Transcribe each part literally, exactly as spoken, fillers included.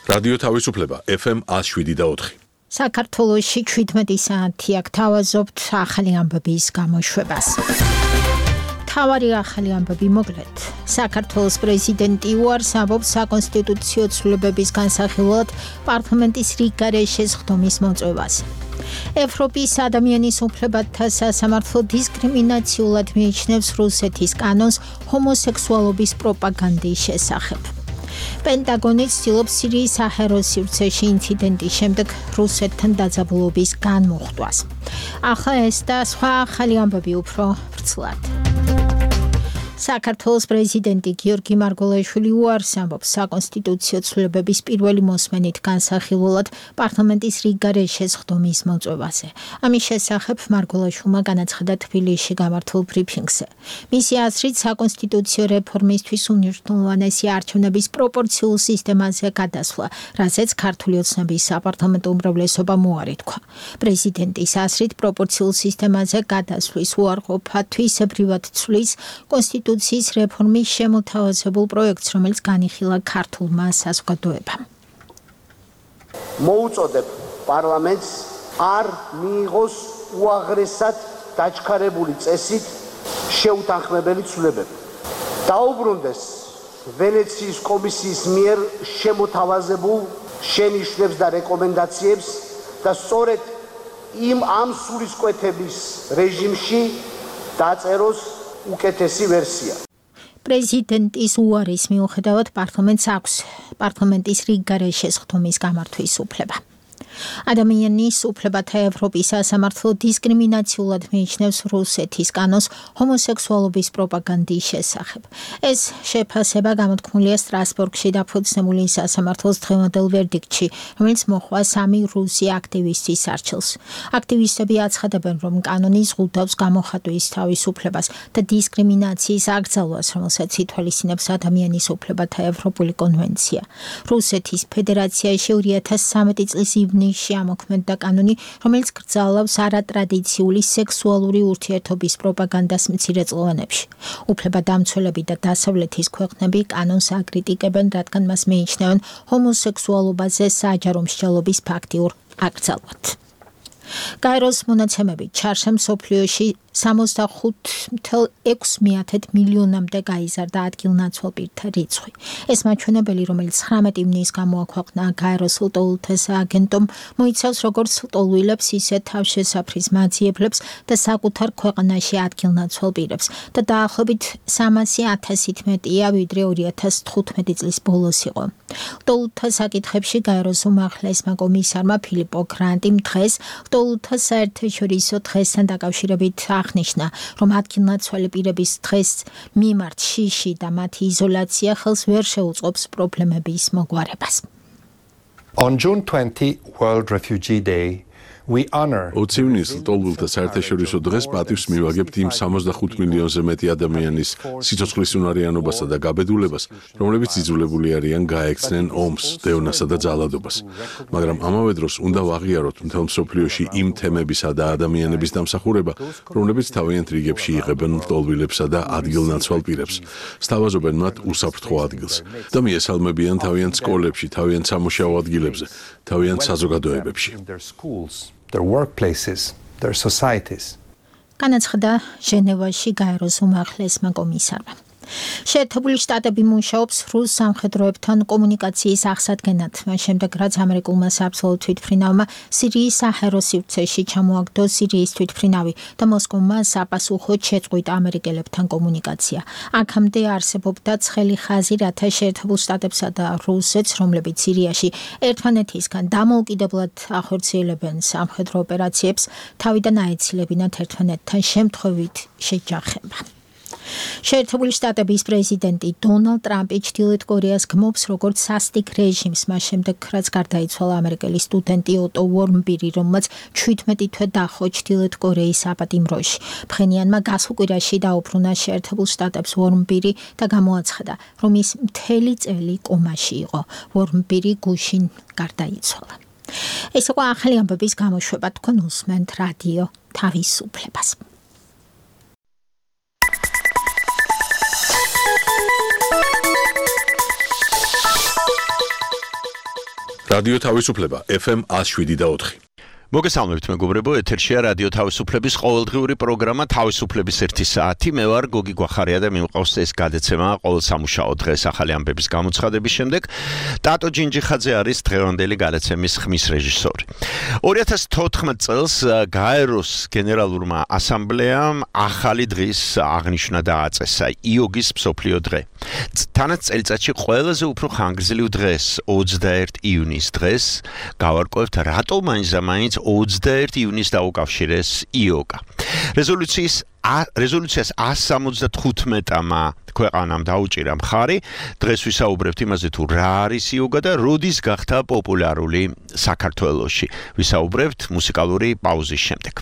რადიო თავისუფლება ეფ ემ one oh seven და four. საქართველოში შვიდმეტი საათი აქ თავაზობთ ახალი ამბების გამოშვებას. თავარი ახალი ამბები მოკლედ. საქართველოს პრეზიდენტი უარს ამბობს საკონსტიტუციო ცვლილებების განსახილველად პარლამენტის რიგ გარეშე სხდომის მოწვევას. ევროპის ადამიანის უფლებათა სასამართლო დისკრიმინაციულად მიიჩნევს რუსეთის კანონს ჰომოსექსუალობის პროპაგანდის შესახებ. პენტაგონი ცდილობს სირიის საჰაერო სივრცეში ინციდენტის შემდეგ რუსეთთან დაძაბულობის განმუხტვას. ახლა ეს და სხვა ახალი ამბები უფრო ვრცლად. საქართველოს პრეზიდენტი გიორგი მარგველაშვილი უარს ამბობს საკონსტიტუციო ცვლილებების პირველი მოსმენით განსახილველად პარლამენტის რიგ გარეშე სხდომის მოწვევაზე. ამის შესახებ მარგველაშვილმა განაცხადა თბილისში გამართულ ბრიფინგზე. მისი აზრით საკონსტიტუციო რეფორმისთვის უმნიშვნელოვანესი არჩევნების პროპორციულ სისტემაზე გადასვლა, რაზეც ქართული ოცნების საპარლამენტო უმრავლესობამ უარი თქვა. პრეზიდენტის აზრით პროპორციულ სისტემაზე გადასვლის უარყოფა თვისებრივად ცვლის კონსტიტუციის კონსტიტუციის რეფორმის შემოთავაზებულ პროექტს, რომელიც განიხილა ქართულმა საზოგადოებამ. მოუწოდებ პარლამენტს არ მიიღოს უაღრესად დაჩქარებული წესით შეუთანხმებელი ცვლილებები. დაუბრუნდეს ვენეციის კომისიის მიერ შემოთავაზებულ შენიშვნებს და რეკომენდაციებს და სწორედ იმ ამ სულისკვეთების რეჟიმში დაწეროს უკეთესი ვერსია. პრეზიდენტის უარის მიუხედავად პარლამენტს აქვს პარლამენტის რიგ გარეშე სხდომის გამართვის უფლება. ადამიანის უფლებათა ევროპის სასამართლო დისკრიმინაციულად მიიჩნევს რუსეთის კანონს ჰომოსექსუალობის პროპაგანდის შესახებ. ეს შეფასება გამოთქმულია სტრასბურგში დაფუძნებული სასამართლოს დღევანდელ ვერდიქტში, რომელიც მოჰყვა სამი რუსი აქტივისტის არჩევს. აქტივისტები აცხადებენ, რომ კანონი ზღუდავს გამოხატვის თავისუფლებას და დისკრიმინაციის აკრძალვას, რომელსაც ითვალისწინებს ადამიანის უფლებათა ევროპული კონვენცია. რუსეთის ფედერაციაში ორი ათას სამი წლის ივნისში ამოქმედდა კანონი, რომელიც გრძალავს არატრადიციული სექსუალური ურთიერთობის პროპაგანდას მცირეწლოვანებში. უფლებადამცველები და დასავლეთის ქვეყნები კანონს აკრიტიკებენ, რადგან მას მიიჩნევენ ჰომოსექსუალობაზე საჯარო მსჯელობის ფაქტიურ აკრძალვად. გაეროს მონაცემებით ჩარშემ მსოფლიოში სამოცდახუთ წელს ექვსი მილიონამდე გაიზარდა ადგილნაცვალ პირთა რიცხვი. ეს მაჩვენებელი, რომელიც ცხრამეტი ივნის გამოაქვეყნა გაეროს ლტოლვილთა სააგენტომ, მოიცავს როგორც ლტოლვილებს, ისე თავშესაფრის მაძიებლებს და საკუთარ ქვეყანაში ადგილნაცვალ პირებს და დაახლოებით სამასი ათასით მეტია, ვიდრე ორი ათას თხუთმეტი წლის ბოლოს იყო. ლტოლვილთა საკითხებში გაეროს უმაღლესმა კომისარმა ფილიპო გრანტიმ დღეს ლტოლვილთა საერთაშორისო დღესთან დაკავშირებით აღნიშნა, რომ ადგილნაცვალი პირების დღეს მიმართ შიში და მათი იზოლაცია ხელს ვერ შეუწყობს პრობლემების მოგვარებას. On June twentieth, World Refugee Day, we honor ოცი ივნის ლტოლვილთა საერთაშორისო დღეს პატივს მივაგებთ იმ სამოცდახუთ მილიონზე მეტი ადამიანის სიცოცხლის უნარიანობასა და გაბედულებას, რომლებიც იძულებული არიან გაექცნენ ომს, დევნასა და ძალადობას. მაგრამ ამავე დროს უნდა ვაღიაროთ მთელ მსოფლიოში იმ თემებისა და ადამიანების დამსახურება, რომლებიც თავიანთ რიგებში იღებენ ლტოლვილებსა და ადგილნაცვალ პირებს, სთავაზობენ მათ უსაფრთხო ადგილს და მიესალმებიან თავიანთ სკოლებში, თავიანთ სამუშაო ადგილებზე, თავიანთ საზოგადოებებში. their workplaces, their societies. განაცხადა ჟენევაში გაეროს უმაღლესმა კომისარმა. შეერთებული შტატები მუშაობს რუს სამხედროებთან კომუნიკაციის აღსადგენად, მას შემდეგ რაც ამერიკულმა საბრძოლო თვითმფრინავმა სირიის საჰაერო სივრცეში ჩამოაგდო სირიის თვითმფრინავი და მოსკოვმა საპასუხოდ შეწყვიტა ამერიკელებთან კომუნიკაცია. აქამდე არსებობდა ცხელი ხაზი, რათა შეერთებულ შტატებსა და რუსეთს, რომლებიც სირიაში ერთმანეთისგან დამოუკიდებლად ახორციელებენ სამხედრო ოპერაციებს, თავიდან აეცილებინათ ერთმანეთთან შემთხვევით შეჯახება. შეერთებული შტატების პრეზიდენტი დონალდ ტრამპი ჩრდილოეთ კორეას გმობს როგორც სასტიკ რეჟიმს, მას შემდეგ რაც გარდაიცვალა ამერიკელი სტუდენტი ოტო ვორმბირი, რომელმაც შვიდმეტი თვე დაჰყო ჩრდილოეთ კორეის აპატიმროში. ფხენიანმა გასულ კვირაში დაუბრუნა შეერთებულ შტატებს ვორმბირი და გამოაცხადა, რომ ის მთელი წელი კომაში იყო. ვორმბირი გუშინ გარდაიცვალა. ეს იყო ახალი ამბების გამოშვება, თქვენ უსმენთ რადიო თავისუფლებას. რადიო თავისუფლება F M one oh seven და four. მოგესალმებით მეგობრებო, ეთერშია რადიო თავისუფლების ყოველდღიური პროგრამა თავისუფლების ერთი საათი. მე ვარ გოგი გვახარია და მიმყავს ეს გადაცემა ყოველ სამუშაო დღეს ახალი ამბების გამოცხადების შემდეგ. ტატო ჯინჯიხაძე არის დღევანდელი გადაცემის ხმის რეჟისორი. ორი ათას თოთხმეტ წელს გაეროს გენერალურმა ასამბლეამ ახალი დღის აღნიშვნა დააწესა, იოგის მსოფლიო დღე. თანაც წელიწადში ყველაზე უფრო ხანგრძლივ დღეს, ოცდაერთი ივნის დღეს, გავარკვევთ რატომ მაინც ოცდაერთი ივნის დაუკავშირეს იოგა. რეზოლუციის რეზოლუციას one seventy-five-მა ქვეყანამ დაუჭირა მხარი. დღეს ვისაუბრებთ იმაზე თუ რა არის იოგა და როდის გახდა პოპულარული საქართველოში. ვისაუბრებთ მუსიკალური პაუზის შემდეგ.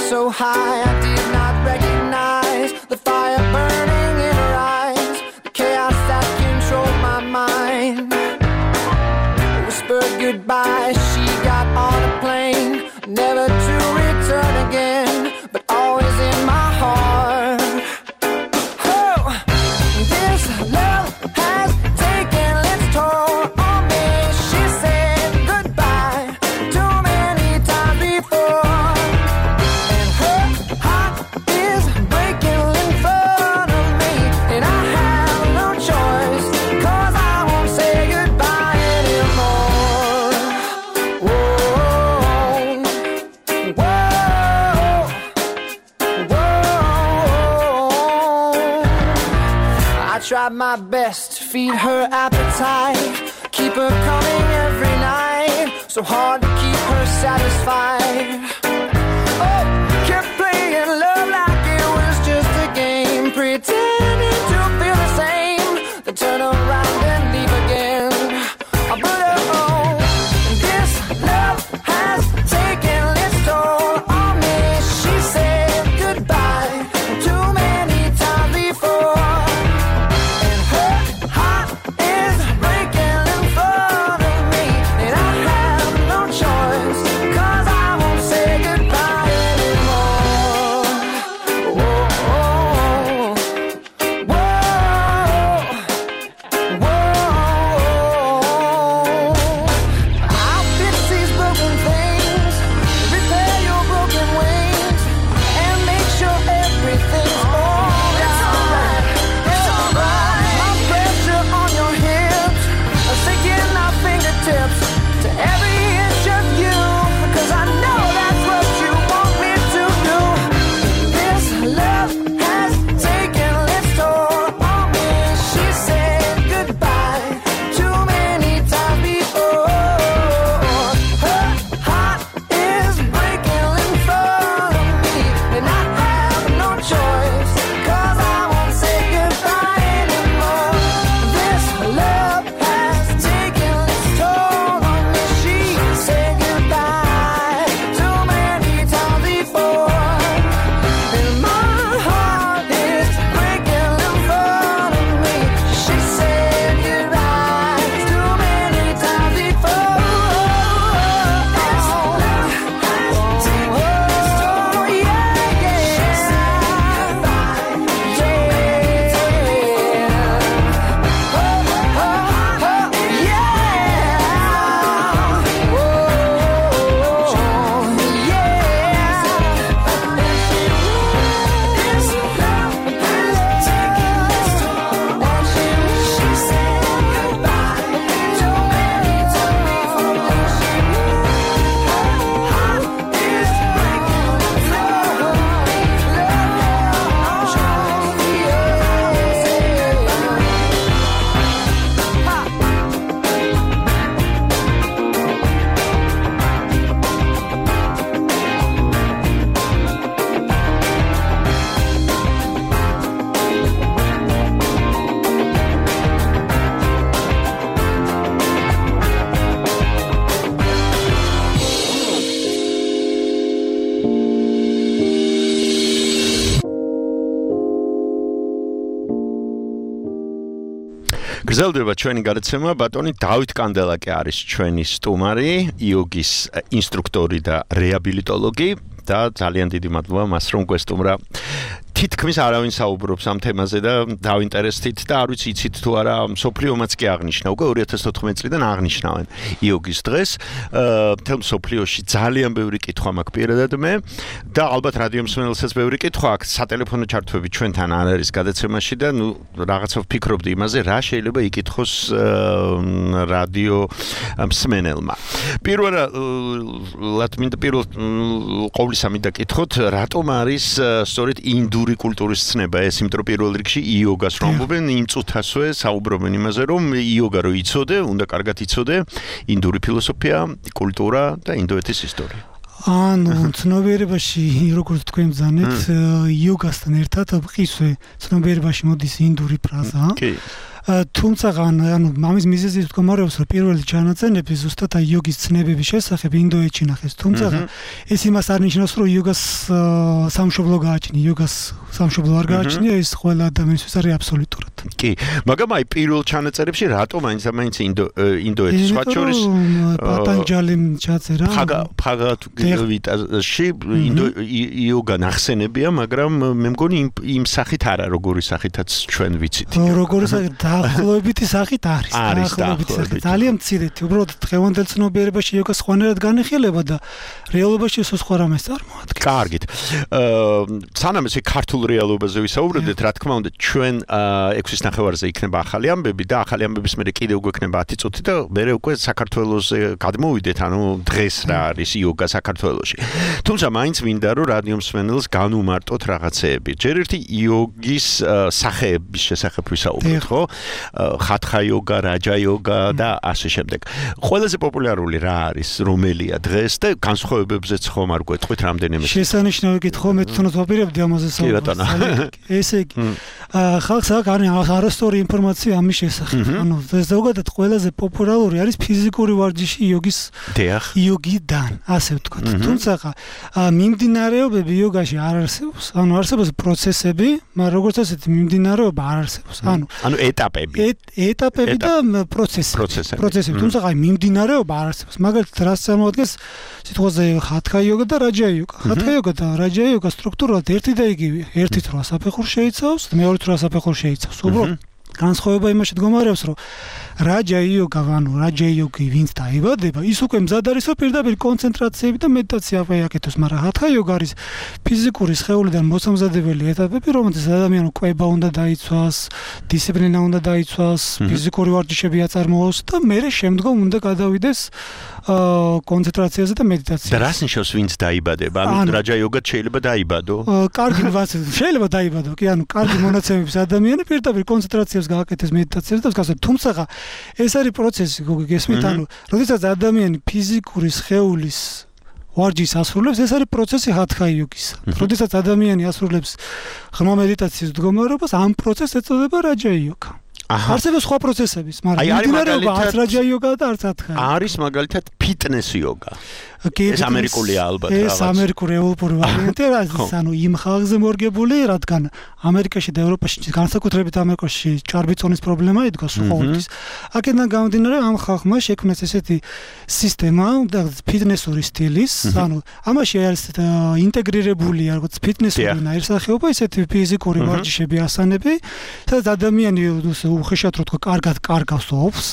So high, I did not recognize the fire burning in her eyes, the chaos that controlled my mind. Whispered goodbye, she got on a plane, never to return again, but always in my heart. Oh, this love has taken its toll on me. She said goodbye too many times before. Tried my best to feed her appetite, keep her coming every night, so hard to keep her satisfied. Oh, kept playing love like it was just a game, pretending to feel the same, then turn around and leave again. But oh, this love has taken its toll on me. She said goodbye too many times before. Say გრძელდება ჩვენი გადაცემა, ბატონი დავით კანდელაკი არის ჩვენი სტუმარი, იოგის ინსტრუქტორი და რეაბილიტოლოგი და ძალიან დიდი მადლობა მას რომ გვესტუმრა. თითქმის არავინ საუბრობს ამ თემაზე და დავინტერესდით და არ ვიცი იცით თუ არა სოფლიომაც კი აღნიშნა უკვე ორი ათას ოთხმეტი წლიდან აღნიშნავენ იოგის დღეს მთელ სოფლიოში ძალიან ბევრი კითხვა მაქვს პირადად მე და ალბათ რადიო მსმენელსაც ბევრი კითხვა აქვს სატელეფონო ჩართვები ჩვენთან არ არის გადაცემაში და ნუ რაღაცა ვფიქრობდი იმაზე რა შეიძლება იკითხოს რადიო მსმენელმა პირველად მინდა პირველ ყოვლისა მინდა კითხოთ რატომ არის სწორედ ინდური კულტურის ცნება ეს იმიტომ რომ პირველ რიგში იოგას რომ ამბობენ იმ წუთასვე საუბრობენ იმაზე რომ იოგა რო იცოდე უნდა კარგად იცოდე ინდური ფილოსოფია კულტურა და ინდოეთის ისტორია ანუ ცნობიერებაში როგორც თქვენ ბრძანეთ იოგასთან ერთად ყისვე ცნობიერებაში მოდის ინდური ფრაზა კი თუმცა ანუ მამის მიზეზით მდგომარეობს რომ პირველი ჩანაწერები ზუსტად იოგის ცნებების შესახებ ინდოეთში ნახეს თუმცა ეს იმას არ ნიშნავს რომ იოგას სამშობლო გააჩნია იოგას სამშობლო არ გააჩნია ეს ყველა ადამიანისთვის არის აბსოლუტურად კი მაგრამ აი პირველ ჩანაწერებში რატომ აინც აინც ინდოეთის სხვა შორის პატანჯალიმ ჩაწერა ბჰაგავად-გიტაში იოგა ნახსენებია მაგრამ მე მგონი იმ სახით არა როგორი სახითაც ჩვენ ვიცით როგორი სახით დაახლოებითი სახით არის დაახლოებითი სახით ძალიან მცირეთი უბრალოდ დღევანდელ ცნობიერებაში იოგა სხვანაირად განიხილება და რეალობაში ეს სხვა რამეს წარმოადგენს კარგით სანამ ესე ქართულ რეალობაზე ვისაუბრებდეთ რა თქმა უნდა ჩვენ ექვსის ნახევარზე იქნება ახალი ამბები და ახალი ამბების მერე კიდევ გვექნება ათი წუთი და მერე უკვე საქართველოსზე გადმოვიდეთ ანუ დღეს რა არის იოგა საქართველოში თუმცა მაინც მინდა რომ რადიო მსმენელს განუმარტოთ რაღაცეები ჯერ ერთი იოგის სახეების შესახებ ვისაუბროთ ხო ხათხა იოგა რაჯა იოგა და ასე შემდეგ ყველაზე პოპულარული რა არის რომელია დღეს და განსხვავებებზეც ხომ არ გვეტყვით რამდენიმე შესანიშნავი კითხვა მე თვითონაც ვაპირებდი ამაზე საუბარს ესე იგი ხალხს აქვს არასწორი ინფორმაცია ამის შესახებ ანუ ზოგადად ყველაზე პოპულარული არის ფიზიკური ვარჯიში იოგის იოგიდან ასე ვთქვათ თუმცა მიმდინარეობები იოგაში არ არსებობს ანუ არსებობს პროცესები მაგრამ როგორც ასეთი მიმდინარეობა არ არსებობს ანუ ანუ ეტაპები ეტაპები და პროცესები პროცესები თუმცა აი მიმდინარეობა არ არსებობს მაგალითად რას წარმოადგენს სიტყვაზე ხათხა იოგა და რაჯა იოგა ხათხა იოგა და რაჯა იოგა სტრუქტურულად ერთი და იგივეა ერთი თრვა საფეხურს შეიცავს მეორე თრვა საფეხურს შეიცავს უბრალოდ განსხვავება იმაში მდგომარეობს რომ რაჯა იოგა ანუ რაჯა იოგი ვინც დაიბადება ის უკვე მზად არის რომ პირდაპირ კონცენტრაციები და მედიტაცია ააკეთოს მაგრამ ხათხა იოგა არის ფიზიკური სხეულიდან მოსამზადებელი ეტაპები რომელთაც ადამიანი კვება უნდა დაიცვას დისციპლინა უნდა დაიცვას ფიზიკური ვარჯიშები აწარმოოს და მერე შემდგომ უნდა გადავიდეს კონცენტრაციაზე და მედიტაციაზე და რას ნიშნავს ვინც დაიბადება ანუ რაჯა იოგა შეიძლება დაიბადო კარგი შეიძლება დაიბადო კი ანუ კარგი მონაცემების ადამიანი პირდაპირ კონცენტრაციას გააკეთებს მედიტაციას და გასა თუმცა ეს არის პროცესი გოგი გესმით ანუ როდესაც ადამიანი ფიზიკური სხეულის ვარჯიშს ასრულებს ეს არის პროცესი ხათხა იოგისა როდესაც ადამიანი ასრულებს ღრმა მედიტაციის მდგომარეობას ამ პროცესს ეწოდება რაჯა იოგა არსებობს სხვა პროცესების მაგრამ მიმდინარეობა არც რაჯა იოგა და არც ხათხა არის მაგალითად ფიტნეს იოგა ეს ამერიკულია ალბათ რაღაც ეს ამერიკული ევროპული ვარიანტია რაც ანუ იმ ხალხზე მორგებული რადგან ამერიკაში და ევროპაში განსაკუთრებით ამერიკაში ჭარბი წონის პრობლემა იდგა ყოველთვის აქედან გამომდინარე ამ ხალხმა შექმნეს ესეთი სისტემა და ფიტნესური სტილის ანუ ამაში არის ინტეგრირებული როგორც ფიტნესური ნაირსახეობა ისეთი ფიზიკური ვარჯიშები ასანები სადაც ადამიანი უხეშად რო თქვა კარგად კარგავს ოფს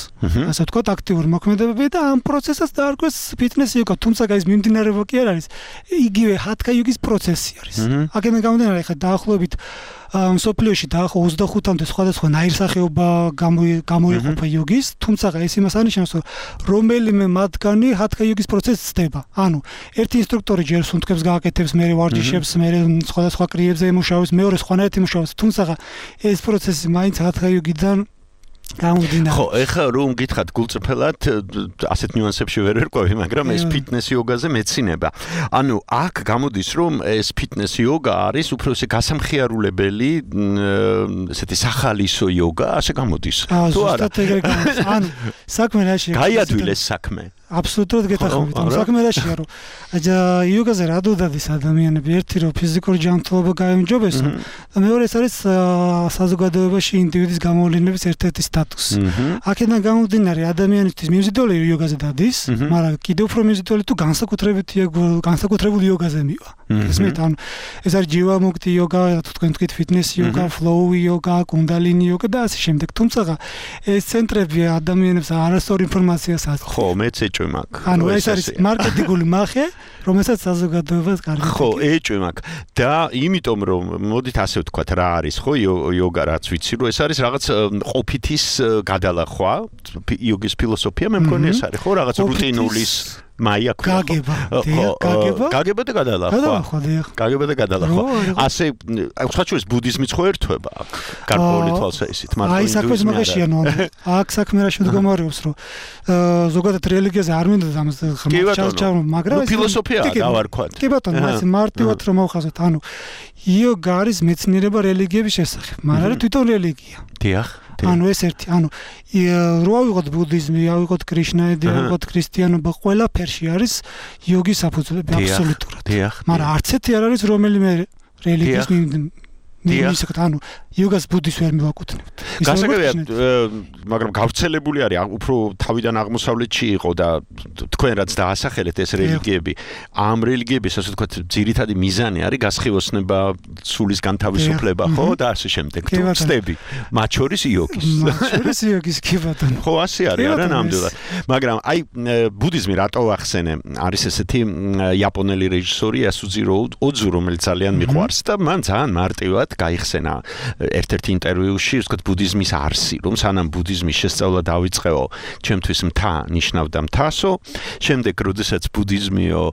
ასე თქვა აქტიური მოქმედებები და ამ პროცესს დაარქვეს ფიტნესი იოგა თუმცა ის მიმდინარეობა კი არ არის იგივე ხათხა იოგის პროცესი არის აქედან გამომდინარე ხა დაახლოებით მსოფლიოში დაახლოებით ოცდახუთამდე სხვადასხვა ნაირსახეობა გამოიყოფა იოგის თუმცა ეს იმას ანიშნავს რომ რომელიმე მათგანი ხათხა იოგის პროცესს ცდება ანუ ერთი ინსტრუქტორი ჯერ სუნთქებს გააკეთებს მერე ვარჯიშებს მერე სხვადასხვა კრიებზე იმუშავებს მეორე სხვანაირად იმუშავებს თუმცა ეს პროცესი მაინც ხათხა იოგიდან გამომდინარე. ხო, ეხლა რომ გითხათ გულწრფელად ასეთ ნიუანსებში ვერ ვერკვევი, მაგრამ ეს ფიტნეს იოგაზე მეცინება. ანუ აქ გამოდის რომ ეს ფიტნეს იოგა არის უფრო ესე გასამხიარულებელი, ესეთი სახალისო იოგა, ასე გამოდის. თუ არა? ანუ საქმე რაში? გაიადვილეს საქმე. აბსოლუტურად გეთახმებით. საქმე რაშია, რომ იოგაზე რა დოდადის ადამიანები, ერთი რომ ფიზიკური ჯანმრთელობა გაემჯობესო და მეორე ეს არის საზოგადოებაში ინდივიდის გამოვლენების ერთ-ერთი სტატუსი. აქედან გამომდინარე ადამიანისთვის მიმზიდველი იოგაზე დადის, მაგრამ კიდევ უფრო მიმზიდველი თუ განსაკუთრებით განსაკუთრებულ იოგაზე მივა. ესმით, ანუ ეს არის ჯივამუქტი იოგა, თუ თქვენ თქვით ფიტნეს იოგა, ფლოუ იოგა, კუნდალინი იოგა და ასე შემდეგ. თუმცა ეს ცენტრები ადამიანებს არასწორ ინფორმაციას აწყობს. ხო, მეც ეჭვი მაქვს. ანუ ეს არის მარკეტინგული მახე, რომელსაც საზოგადოებას კარგი. ხო, ეჭვი მაქვს. და იმიტომ რომ მოდით ასე ვთქვათ, რა არის ხო იოგა რაც ვიცი, რომ ეს არის რაღაც ყოფითის გადალახვა, იოგის ფილოსოფია, მე მგონი ეს არის ხო, რაღაც რუტინულის მაია ქვია. გაგება, გაგება. გაგება და გადალახვა. გადალახვა, დიახ. გაგება და გადალახვა. ასე სხვაჩვენს ბუდიზმიც ხო ერთვება აქ. გარკვეული თვალსაზრისით, მაგრამ აი საქმე მაგაშია, ნუ აქ საქმე რა შემდგომარეობს, რომ ზოგადად რელიგიაზე არ მინდა ამას ხმაჩავ, მაგრამ ეს ფილოსოფია დავარქვათ. კი ბატონო, ეს მარტივად რომ ავხაზოთ, ანუ იოგა არის მეცნიერება რელიგიების შესახებ, მაგრამ თვითონ რელიგია. დიახ. ანუ ეს ერთი, ანუ რო ავიღოთ ბუდიზმი, ავიღოთ კრიშნაიდი, ავიღოთ ქრისტიანობა, ყველაფერში არის იოგის საფუძვლები აბსოლუტურად. მაგრამ არც ერთი არ არის რომელიმე რელიგიის მისაკეთ, ანუ იოგას ბუდიზმს ვერ მივაკუთვნებთ. გასაგებია, მაგრამ გავრცელებული არის უფრო თავიდან აღმოსავლეთში იყო და თქვენ რაც დაასახელეთ ეს რელიგიები, ამ რელიგიების ასე ვთქვათ, ძირითადი მიზანი არის გასხივოსნება, სულის განთავისუფლება, ხო და ასე შემდეგ. თუ ვწდები, მათ შორის იოგის. მათ შორის იოგის კი ბატონო. ხო, ასე არის, არა ნამდვილად. მაგრამ აი ბუდიზმი რატო ახსენე? არის ესეთი იაპონელი რეჟისორი ასუძირო ოძუ, რომელიც ძალიან მიყვარს და მან ძალიან მარტივად გაიხსენა ერთ-ერთ ინტერვიუში, ვთქვათ, ბუდიზმის არსი, რომ სანამ ბუდიზმის შესწავლა დავიწყეო, ჩემთვის მთა ნიშნავდა მთასო, შემდეგ, როდესაც ბუდიზმიო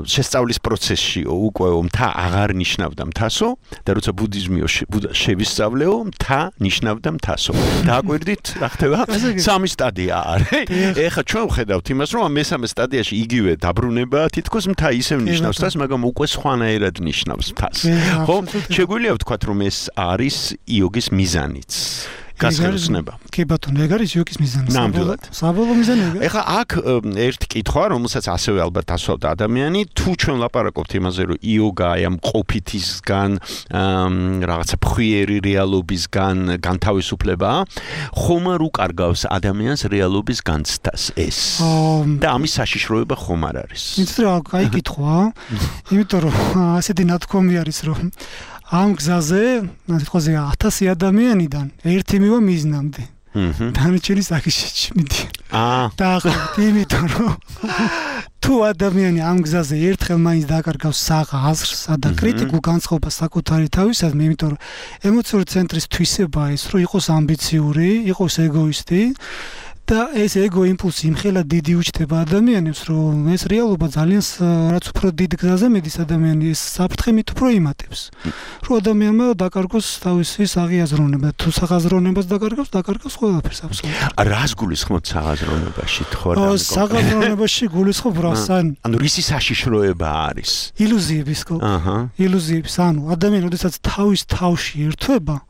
შესწავლის პროცესშიო უკვე მთა აღარ ნიშნავდა მთასო და როცა ბუდიზმიო შევისწავლეო, მთა ნიშნავდა მთასო. დააკვირდით, რა ხდება? სამი სტადია არის. ეხლა ჩვენ ვხედავთ იმას, რომ მესამე სტადიაში იგივე დაბრუნება, თითქოს მთა ისევ ნიშნავს მთას, მაგრამ უკვე სხვანაირად ნიშნავს მთას. ხო, შეგვიძლია ვთქვათ, რომ ეს არის იოგის მიზანიც. გასხივოსნება. კი ბატონო, ეგ არის იოგის მიზანი. ნამდვილად. საბოლოო მიზანი. ეხლა აქ ერთ კითხვა, რომელსაც ასევე ალბათ ასვავდა ადამიანი, თუ ჩვენ ლაპარაკობთ იმაზე, რომ იოგა ამ ყოფითისგან, რაღაცა ფხვიერი რეალობისგან განთავისუფლებაა, ხომ არ უკარგავს ადამიანს რეალობის განცდას ეს? და ამის საშიშროება ხომ არ არის? იცით რა, კაი კითხვა, იმიტომ რომ ასეთი ნათქვამი არის, რომ ამ გზაზე, ნახეთ, ათასი ადამიანიდან ერთი მივა მიზნამდე. დანარჩენი საკიშეში მიდი. აა. დაახლოებით იმიტომ რომ თუ ადამიანი ამ გზაზე ერთხელ მაინც დაკარგავს საღაზრს და კრიტიკულ განწყობას საკუთარი თავისადმი, იმიტომ რომ ემოციური ცენტრის თვისებაა ეს, რომ იყოს ამბიციური, იყოს ეგოისტი. და ეს ეგო იმპულსი იმხელა დიდი უჩნდება ადამიანებს, რომ ეს რეალობა ძალიან რაც უფრო დიდ გზაზე მედის ადამიანი ეს საფრთხე მით უფრო იმატებს. რომ ადამიანმა დაკარგოს თავისი საღაზრონება, თუ საღაზრონებას დაკარგავს, დაკარგავს ყველაფერს აბსოლუტურად. რას გულისხმობთ საღაზრონებაში, თქო რა? საღაზრონებაში გულისხმობ რას, ანუ რისი საშიშროება არის? ილუზიების ხო? აჰა. ილუზიების, ანუ ადამიანი, როდესაც თავის თავში ერთვება,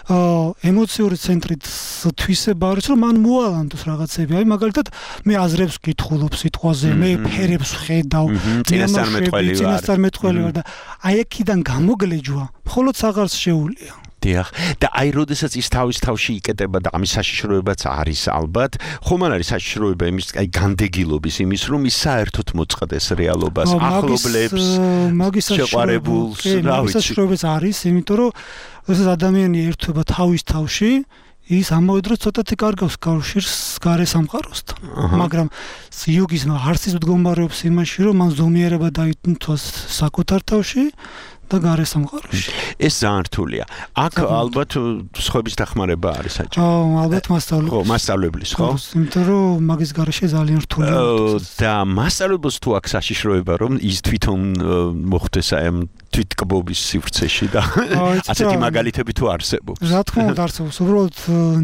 ემოციური ცენტრით თვისება არის, რომ მან მოალანდოს რაღაცები. აი მაგალითად, მე აზრებს ვკითხულობ სიტყვაზე, მე ფერებს ვხედავ, წინასწარმეტყველი ვარ. წინასწარმეტყველი ვარ და აი აქედან გამოგლეჯვა მხოლოდ საღარს შეუულია. დიახ, და აი როდესაც ის თავის თავში იკეტება და ამის საშიშროებაც არის ალბათ, ხომ არ არის საშიშროება იმის აი განდეგილობის იმის, რომ ის საერთოდ მოწყდეს რეალობას, ახლობლებს, შეყვარებულს, რა ვიცი. საშიშროებაც არის, იმიტომ რომ როდესაც ადამიანი ერთვება თავის თავში, ის ამავე დროს ცოტათი კარგავს კავშირს გარე სამყაროსთან. მაგრამ იოგის არსის მდგომარეობს იმაში, რომ მან ზომიერება დაითვალოს საკუთარ თავში და გარე სამყაროში. ეს ძალიან რთულია. აქ ალბათ სხვების დახმარება არის საჭირო. ხო, ალბათ მასწავლებლის. ხო, მასწავლებლის, ხო? იმიტომ რომ მაგის გარეშე ძალიან რთულია. და მასწავლებელს თუ აქ საშიშროება, რომ ის თვითონ მოხვდეს აი ამ თვითკბობის სივრცეში და ასეთი მაგალითები თუ არსებობს. რა თქმა უნდა არსებობს. უბრალოდ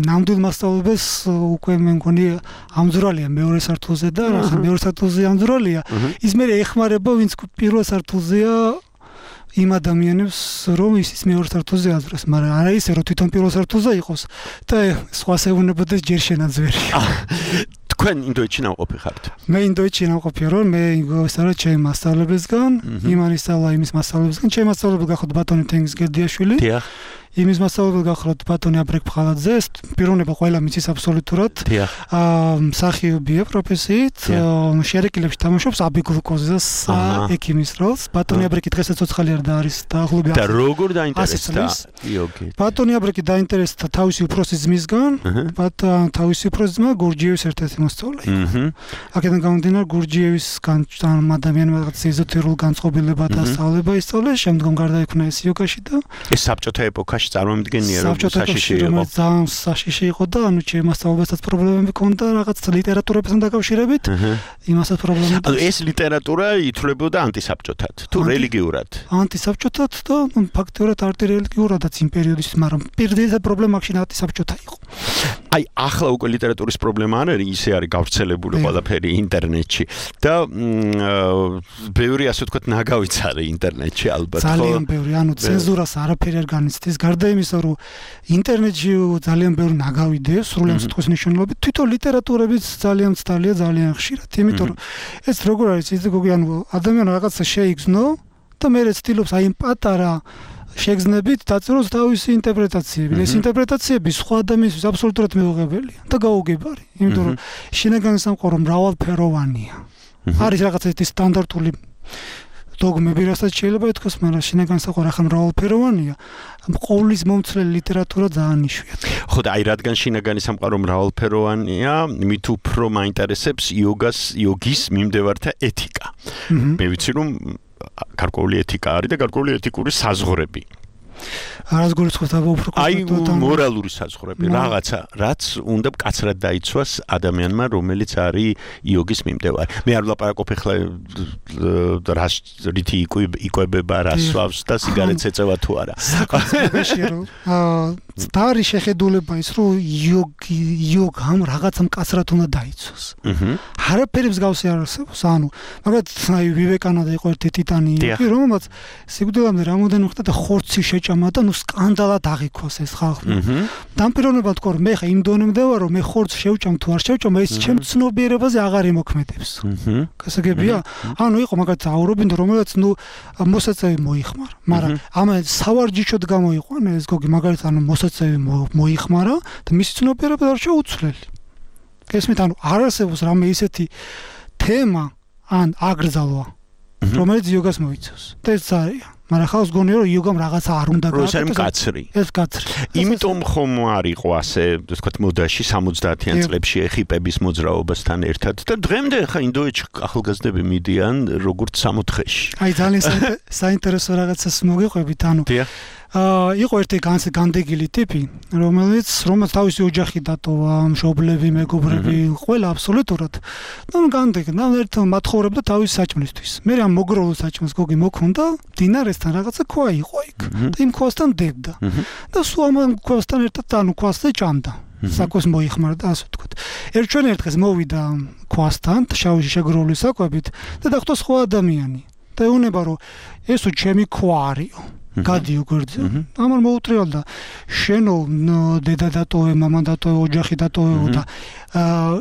ნამდვილ მასწავლებელს უკვე მე მგონი ამძვრალია მეორე სართულზე და ახლა მეორე სართულზე ამძვრალია. ის მე ეხმარება, ვინც პირველ სართულზეა იმ ადამიანებს, რომ ის მეორე სართულზე აზრას, მაგრამ არა ისე, რომ თვითონ პირველ სართულზე იყოს და სხვა ეუბნებოდეს ჯერ შენაძვერია. თქვენ ინდოეთში ნამყოფი ხართ? მე ინდოეთში ნამყოფია რომ მე ვისწავლე ჩემი მასწავლებლისგან, იმან ისწავლა იმის მასწავლებლისგან, ჩემი მასწავლებელი გახლავთ ბატონი თენგიზ გერდიაშვილი. დიახ. იმის მასწავლებელი გახლავთ ბატონი აბრეკ ფხალაძე, პიროვნება ყველა მიცის აბსოლუტურად. აა მსახიობია პროფესიით, შერეკილებში თამაშობს აბიგლუკოზის ექიმის როლს. ბატონი აბრეკი დღესაც ცოცხალი არ და არის დაახლოებით. და როგორ დაინტერესდა იოგი? ბატონი აბრეკი დაინტერესდა თავისი უფროსი ძმისგან, ბატონ თავისი უფროსი ძმა გურჯიევის ერთ-ერთი მოსწავლე იყო. აქედან გამომდინარე გურჯიევის ადამიანმა რაღაც ეზოტერულ განწყობილება და სწავლება ისწავლეს, შემდგომ გარდაიქმნა ეს იოგაში და ეს საბჭოთა ეპოქაში წარმოუდგენია რომ საშიში იყო. ძალიან საშიში იყო და ანუ ჩემ მასწავლებელსაც პრობლემები ჰქონდა რაღაც ლიტერატურებთან დაკავშირებით. იმასაც პრობლემები. ანუ ეს ლიტერატურა ითვლებოდა ანტისაბჭოთად თუ რელიგიურად? ანტისაბჭოთად და ფაქტიურად არტირელიგიურადაც იმ პერიოდისთვის, მაგრამ პირდაპირ პრობლემა აქ ანტისაბჭოთა იყო. აი ახლა უკვე ლიტერატურის პრობლემა არ არის, ისე არის გავრცელებული ყველაფერი ინტერნეტში და ბევრი ასე ვთქვათ ნაგავიც არის ინტერნეტში ალბათ. ძალიან ბევრი, ანუ ცენზურას არაფერი არ განიცდის. გარდა იმისა, რომ ინტერნეტში ძალიან ბევრი ნაგავი დევს, სრულად სიტყვის მნიშვნელობით, თვითონ ლიტერატურებიც ძალიან ცდალია, ძალიან ხშირად. იმიტომ რომ ეს როგორ არის, ის გოგი, ანუ ადამიანი რაღაცა შეიგრძნო და მე ცდილობს აი იმ პატარა შეგრძნებით დაწეროს თავისი ინტერპრეტაციები. ეს ინტერპრეტაციები სხვა ადამიანისთვის აბსოლუტურად მეუღებელია და გაუგებარი. იმიტომ რომ შინაგანი სამყარო მრავალფეროვანია. არის რაღაც ერთი სტანდარტული დოგმები, რასაც შეიძლება ითქვას, მაგრამ შინაგანი სამყარო ახლა მრავალფეროვანია. ყოვლის მომცლელი ლიტერატურა ძალიან იშვიათია. ხო და აი რადგან შინაგანი სამყარო მრავალფეროვანია, მით უფრო მაინტერესებს იოგას, იოგის მიმდევართა ეთიკა. მე ვიცი რომ გარკვეული ეთიკა არის და გარკვეული ეთიკური საზღვრები. არასგორი სხვა უფრო აი მორალური საზღვრები, რაღაცა, რაც უნდა მკაცრად დაიცვას ადამიანმა, რომელიც არის იოგის მიმდევარი. მე არ ვლაპარაკობ ახლა რას რითი იკვებება, რას სვავს და სიგარეტს ეწევა თუ არა. აა დარი შეხედულება ის რომ იოგი იოგამ რაღაცა მკაცრად უნდა დაიცვას. არაფერი მსგავსი არ არსებობს, ანუ მაგალითად აი ვივეკანანდა იყო ერთი ტიტანი იოგი, რომელმაც სიკვდილამდე რამოდენი ხდა და ხორცი შეჭამა და ნუ სკანდალად აღიქვას ეს ხალხმა. დამპირობებად თქო რომ მე ხა იმ დონემდე ვარ რომ მე ხორცს შევჭამ თუ არ შევჭამ ეს ჩემ ცნობიერებაზე აღარ იმოქმედებს. გასაგებია? ანუ იყო მაგალითად აურობინდა რომელსაც ნუ მოსაწევი მოიხმარა, მაგრამ ამ სავარჯიშოდ გამოიყვანა ეს გოგი მაგალითად ანუ მოსაწევი მოიხმარა და მისი ცნობიერება არ შეუცვლელი. ესმით ანუ არ არსებობს რამე ისეთი თემა ან აკრძალვა რომელიც იოგას მოიცავს. და ეს არის მაგრამ ხავს გონია რომ იოგამ რაღაცა არ უნდა გააკეთოს. ეს კაცრი. ეს კაცრი. იმიტომ ხომ არ იყო ასე, ვთქვათ, მოდაში სამოცდაათიან წლებში ექიპების მოძრაობასთან ერთად და დღემდე ხა ინდოეთში ახალგაზრდები მიდიან როგორც სამოთხეში. აი ძალიან საინტერესო რაღაცას მოგიყვებით, ანუ აა იყო ერთი განდეგილი ტიპი, რომელიც რომელიც თავისი ოჯახი დატოვა, მშობლები, მეგობრები, ყველა აბსოლუტურად. ნუ განდეგი, ნუ ერთ მათხოვრებდა თავის საჭმლისთვის. მე ამ მოგროულ საჭმელს გოგი მოქონდა, დინარესთან რაღაცა ქვა იყო იქ და იმ ქვასთან დებდა. და სულ ამ ქვასთან ერთად ანუ ქვასზე ჭამდა. საკვებს მოიხმარდა, ასე ვთქვათ. ერთ ჩვენ ერთ დღეს მოვიდა ქვასთან, შავი შეგროული საკვებით და დახვდა სხვა ადამიანი. და ეუბნება რომ ესო ჩემი ქვა არისო. გადიო გვერდზე. ამან მოუტრიალდა შენო დედა დატოვე, მამა დატოვე, ოჯახი დატოვეო და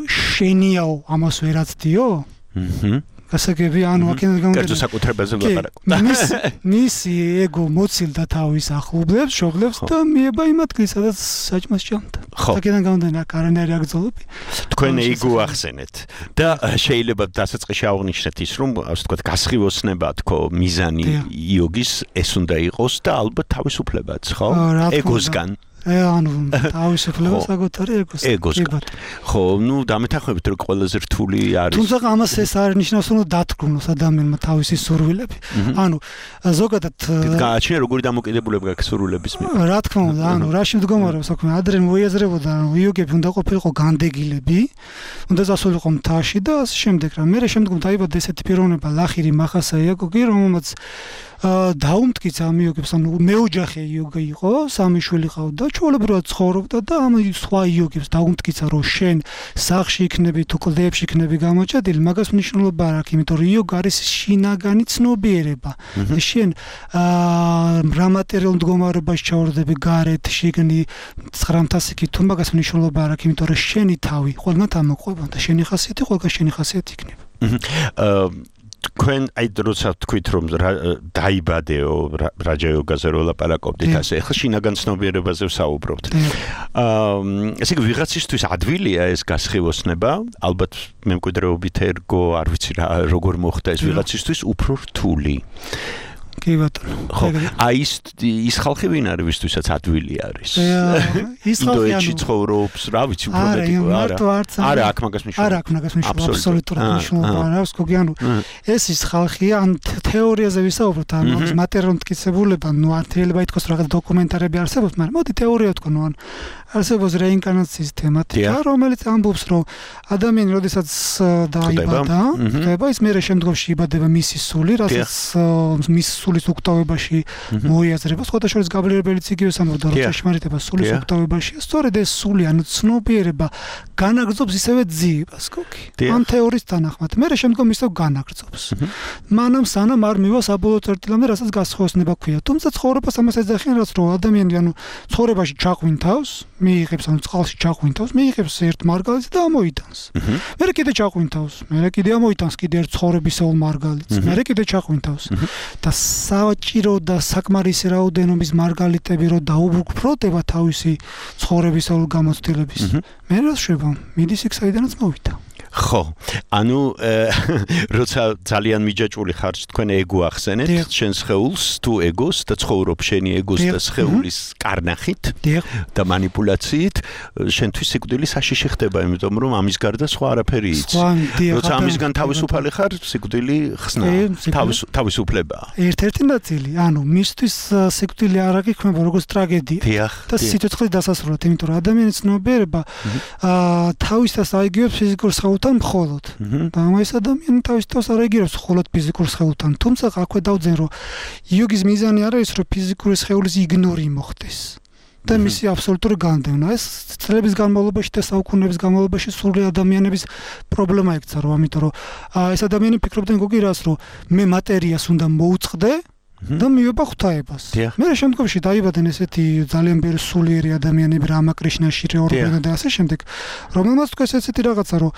შენიაო ამას ვერაცდიო? აჰა. გასაგებია, ანუ აქედან გამომდინარე. კერძო საკუთრებაზე ვლაპარაკობ. მისი ეგო მოცილდა თავის ახლობლებს, მშობლებს და მიება იმ ადგილს, სადაც საჭმელს ჭამდა. აქედან გამომდინარე, კარანერი აგზოლები. თქვენ ეგო ახსენეთ და შეიძლება დასაწყისში აღვნიშნეთ ის, რომ ასე ვთქვათ, გასხივოსნება თქო, მიზანი იოგის ეს უნდა იყოს და ალბათ თავისუფლებაც, ხო? ეგოსგან. ანუ თავისუფლება საკუთარი ეგოს. ეგოსგან. ხო, ნუ დამეთანხმებით რომ ყველაზე რთული არის. თუმცა ამას ეს არ ნიშნავს რომ დათქმულოს ადამიანმა თავისი სურვილები. ანუ ზოგადად გააჩნია როგორი დამოკიდებულება გაქვს სურვილების მიერ. რა თქმა უნდა, ანუ რაში მდგომარეობს საქმე, ადრე მოიაზრებოდა რომ იოგები უნდა ყოფილიყო განდეგილები, უნდა წასულიყო მთაში და ასე შემდეგ რა. მე შემდგომ დაიბადა ესეთი პიროვნება ლახირი მახასაიაკოგი, რომელმაც დაუმტკიცა ამ იოგებს, ანუ მეოჯახე იოგა იყო, სამი შვილი ყავდა, ჩვეულებრივად ცხოვრობდა და ამ სხვა იოგებს დაუმტკიცა რომ შენ სახლში იქნები თუ კლდეებში იქნები გამოჩადილი, მაგას მნიშვნელობა არ აქვს, იმიტომ რომ იოგა არის შინაგანი ცნობიერება. შენ რა მატერიალურ მდგომარეობაში ჩავარდები გარეთ, შიგნი ცხრამთასიკი თუ მაგას მნიშვნელობა არ აქვს, იმიტომ რომ შენი თავი ყველგან ამოყვება და შენი ხასიათი ყველგან შენი ხასიათი იქნება. თქვენ აი როცა თქვით რომ დაიბადეო რაჯა იოგაზე რო ლაპარაკობდით ასე ახლა შინაგან ცნობიერებაზე ვსაუბრობთ. აა ესე იგი ვიღაცისთვის ადვილია ეს გასხივოსნება, ალბათ მემკვიდრეობით ერგო, არ ვიცი რა როგორ მოხდა ეს ვიღაცისთვის უფრო რთული. კი ბატონო. ხო, აი ის ის ხალხი ვინ არის ვისთვისაც ადვილი არის. ის ხალხი ანუ ცხოვრობს, რა ვიცი, უფრო მეტი არა. არა, აქ მაგას მნიშვნელობა. არა, აქ მაგას მნიშვნელობა, აბსოლუტურად მნიშვნელობა არ აქვს, გოგი, ანუ ეს ის ხალხია, ან თეორიაზე ვისაუბროთ, ან მაგის მატერიალურ მტკიცებულება, ნუ არ შეიძლება ითქვას რაღაც დოკუმენტარები არსებობს, მაგრამ მოდი თეორია ვთქვა, ნუ ან არსებობს რეინკარნაციის თემატიკა, რომელიც ამბობს, რომ ადამიანი როდესაც დაიბადა, ხდება, ის მერე შემდგომში იბადება მისი სული, რასაც მის სულის უკტავებაში მოიაზრება, სხვადასხვა გაბლიერებელიც იგივე ამბობდა, რომ ჭეშმარიტება სულის უკტავებაში, სწორედ ეს სული, ანუ ცნობიერება განაგრძობს ისევე ძიებას, გოგი. ამ თეორიის თანახმად, მერე შემდგომ ისევ განაგრძობს. მანამ სანამ არ მივა საბოლოო წერტილამდე, რასაც გასხივოსნება ქვია. თუმცა ცხოვრებას ამას ეძახიან, რომ ადამიანი, ანუ ცხოვრებაში ჩაყვინთავს, მიიღებს ანუ წყალში ჩაყვინთავს, მიიღებს ერთ მარგალიტს და ამოიტანს. მერე კიდე ჩაყვინთავს, მერე კიდე ამოიტანს კიდე ერთ ცხოვრებისეულ მარგალიტს, მერე კიდე ჩაყვინთავს. და საჭირო და საკმარისი რაოდენობის მარგალიტები რო დაუბრუნდება თავისი ცხოვრებისეულ გამოცდილების. მე რა შვება, მიდის იქ საიდანაც მოვიდა. ხო, ანუ როცა ძალიან მიჯაჭვული ხარ, თქვენ ეგო ახსენეთ, შენ სხეულს თუ ეგოს და ცხოვრობ შენი ეგოს და სხეულის კარნახით და манипуляციით, შენთვის სიკვდილი საშიში ხდება, იმიტომ რომ ამის გარდა სხვა არაფერი იცი. როცა ამისგან თავისუფალი ხარ, სიკვდილი ხსნა, თავისუფლებაა. ერთ-ერთი ნაწილი, ანუ მისთვის სიკვდილი არ აღიქმება როგორც ტრაგედია და სიცოცხლის დასასრულად, იმიტომ რომ ადამიანის ცნობიერება თავისას აიგივებს ფიზიკურ სხეულს თან მხოლოდ. და ამას ადამიანი თავის თავს არ ეგირებს მხოლოდ ფიზიკურ სხეულთან. თუმცა აქვე დავძენ რომ იოგის მიზანი არ არის რომ ფიზიკური სხეულის იგნორი მოხდეს. და მისი აბსოლუტური განდევნა. ეს წლების განმავლობაში და საუკუნეების განმავლობაში სრული ადამიანების პრობლემა იქცა, რომ ამიტომ რომ ეს ადამიანი ფიქრობდნენ გოგი რას, რომ მე მატერიას უნდა მოუწყდე და მივება ღვთაებას. მე შემდგომში დაიბადნენ ესეთი ძალიან ბევრი სულიერი ადამიანები, რამა კრიშნაში, რეორბენა და ასე შემდეგ, რომელმაც თქვეს ესეთი რაღაცა, რომ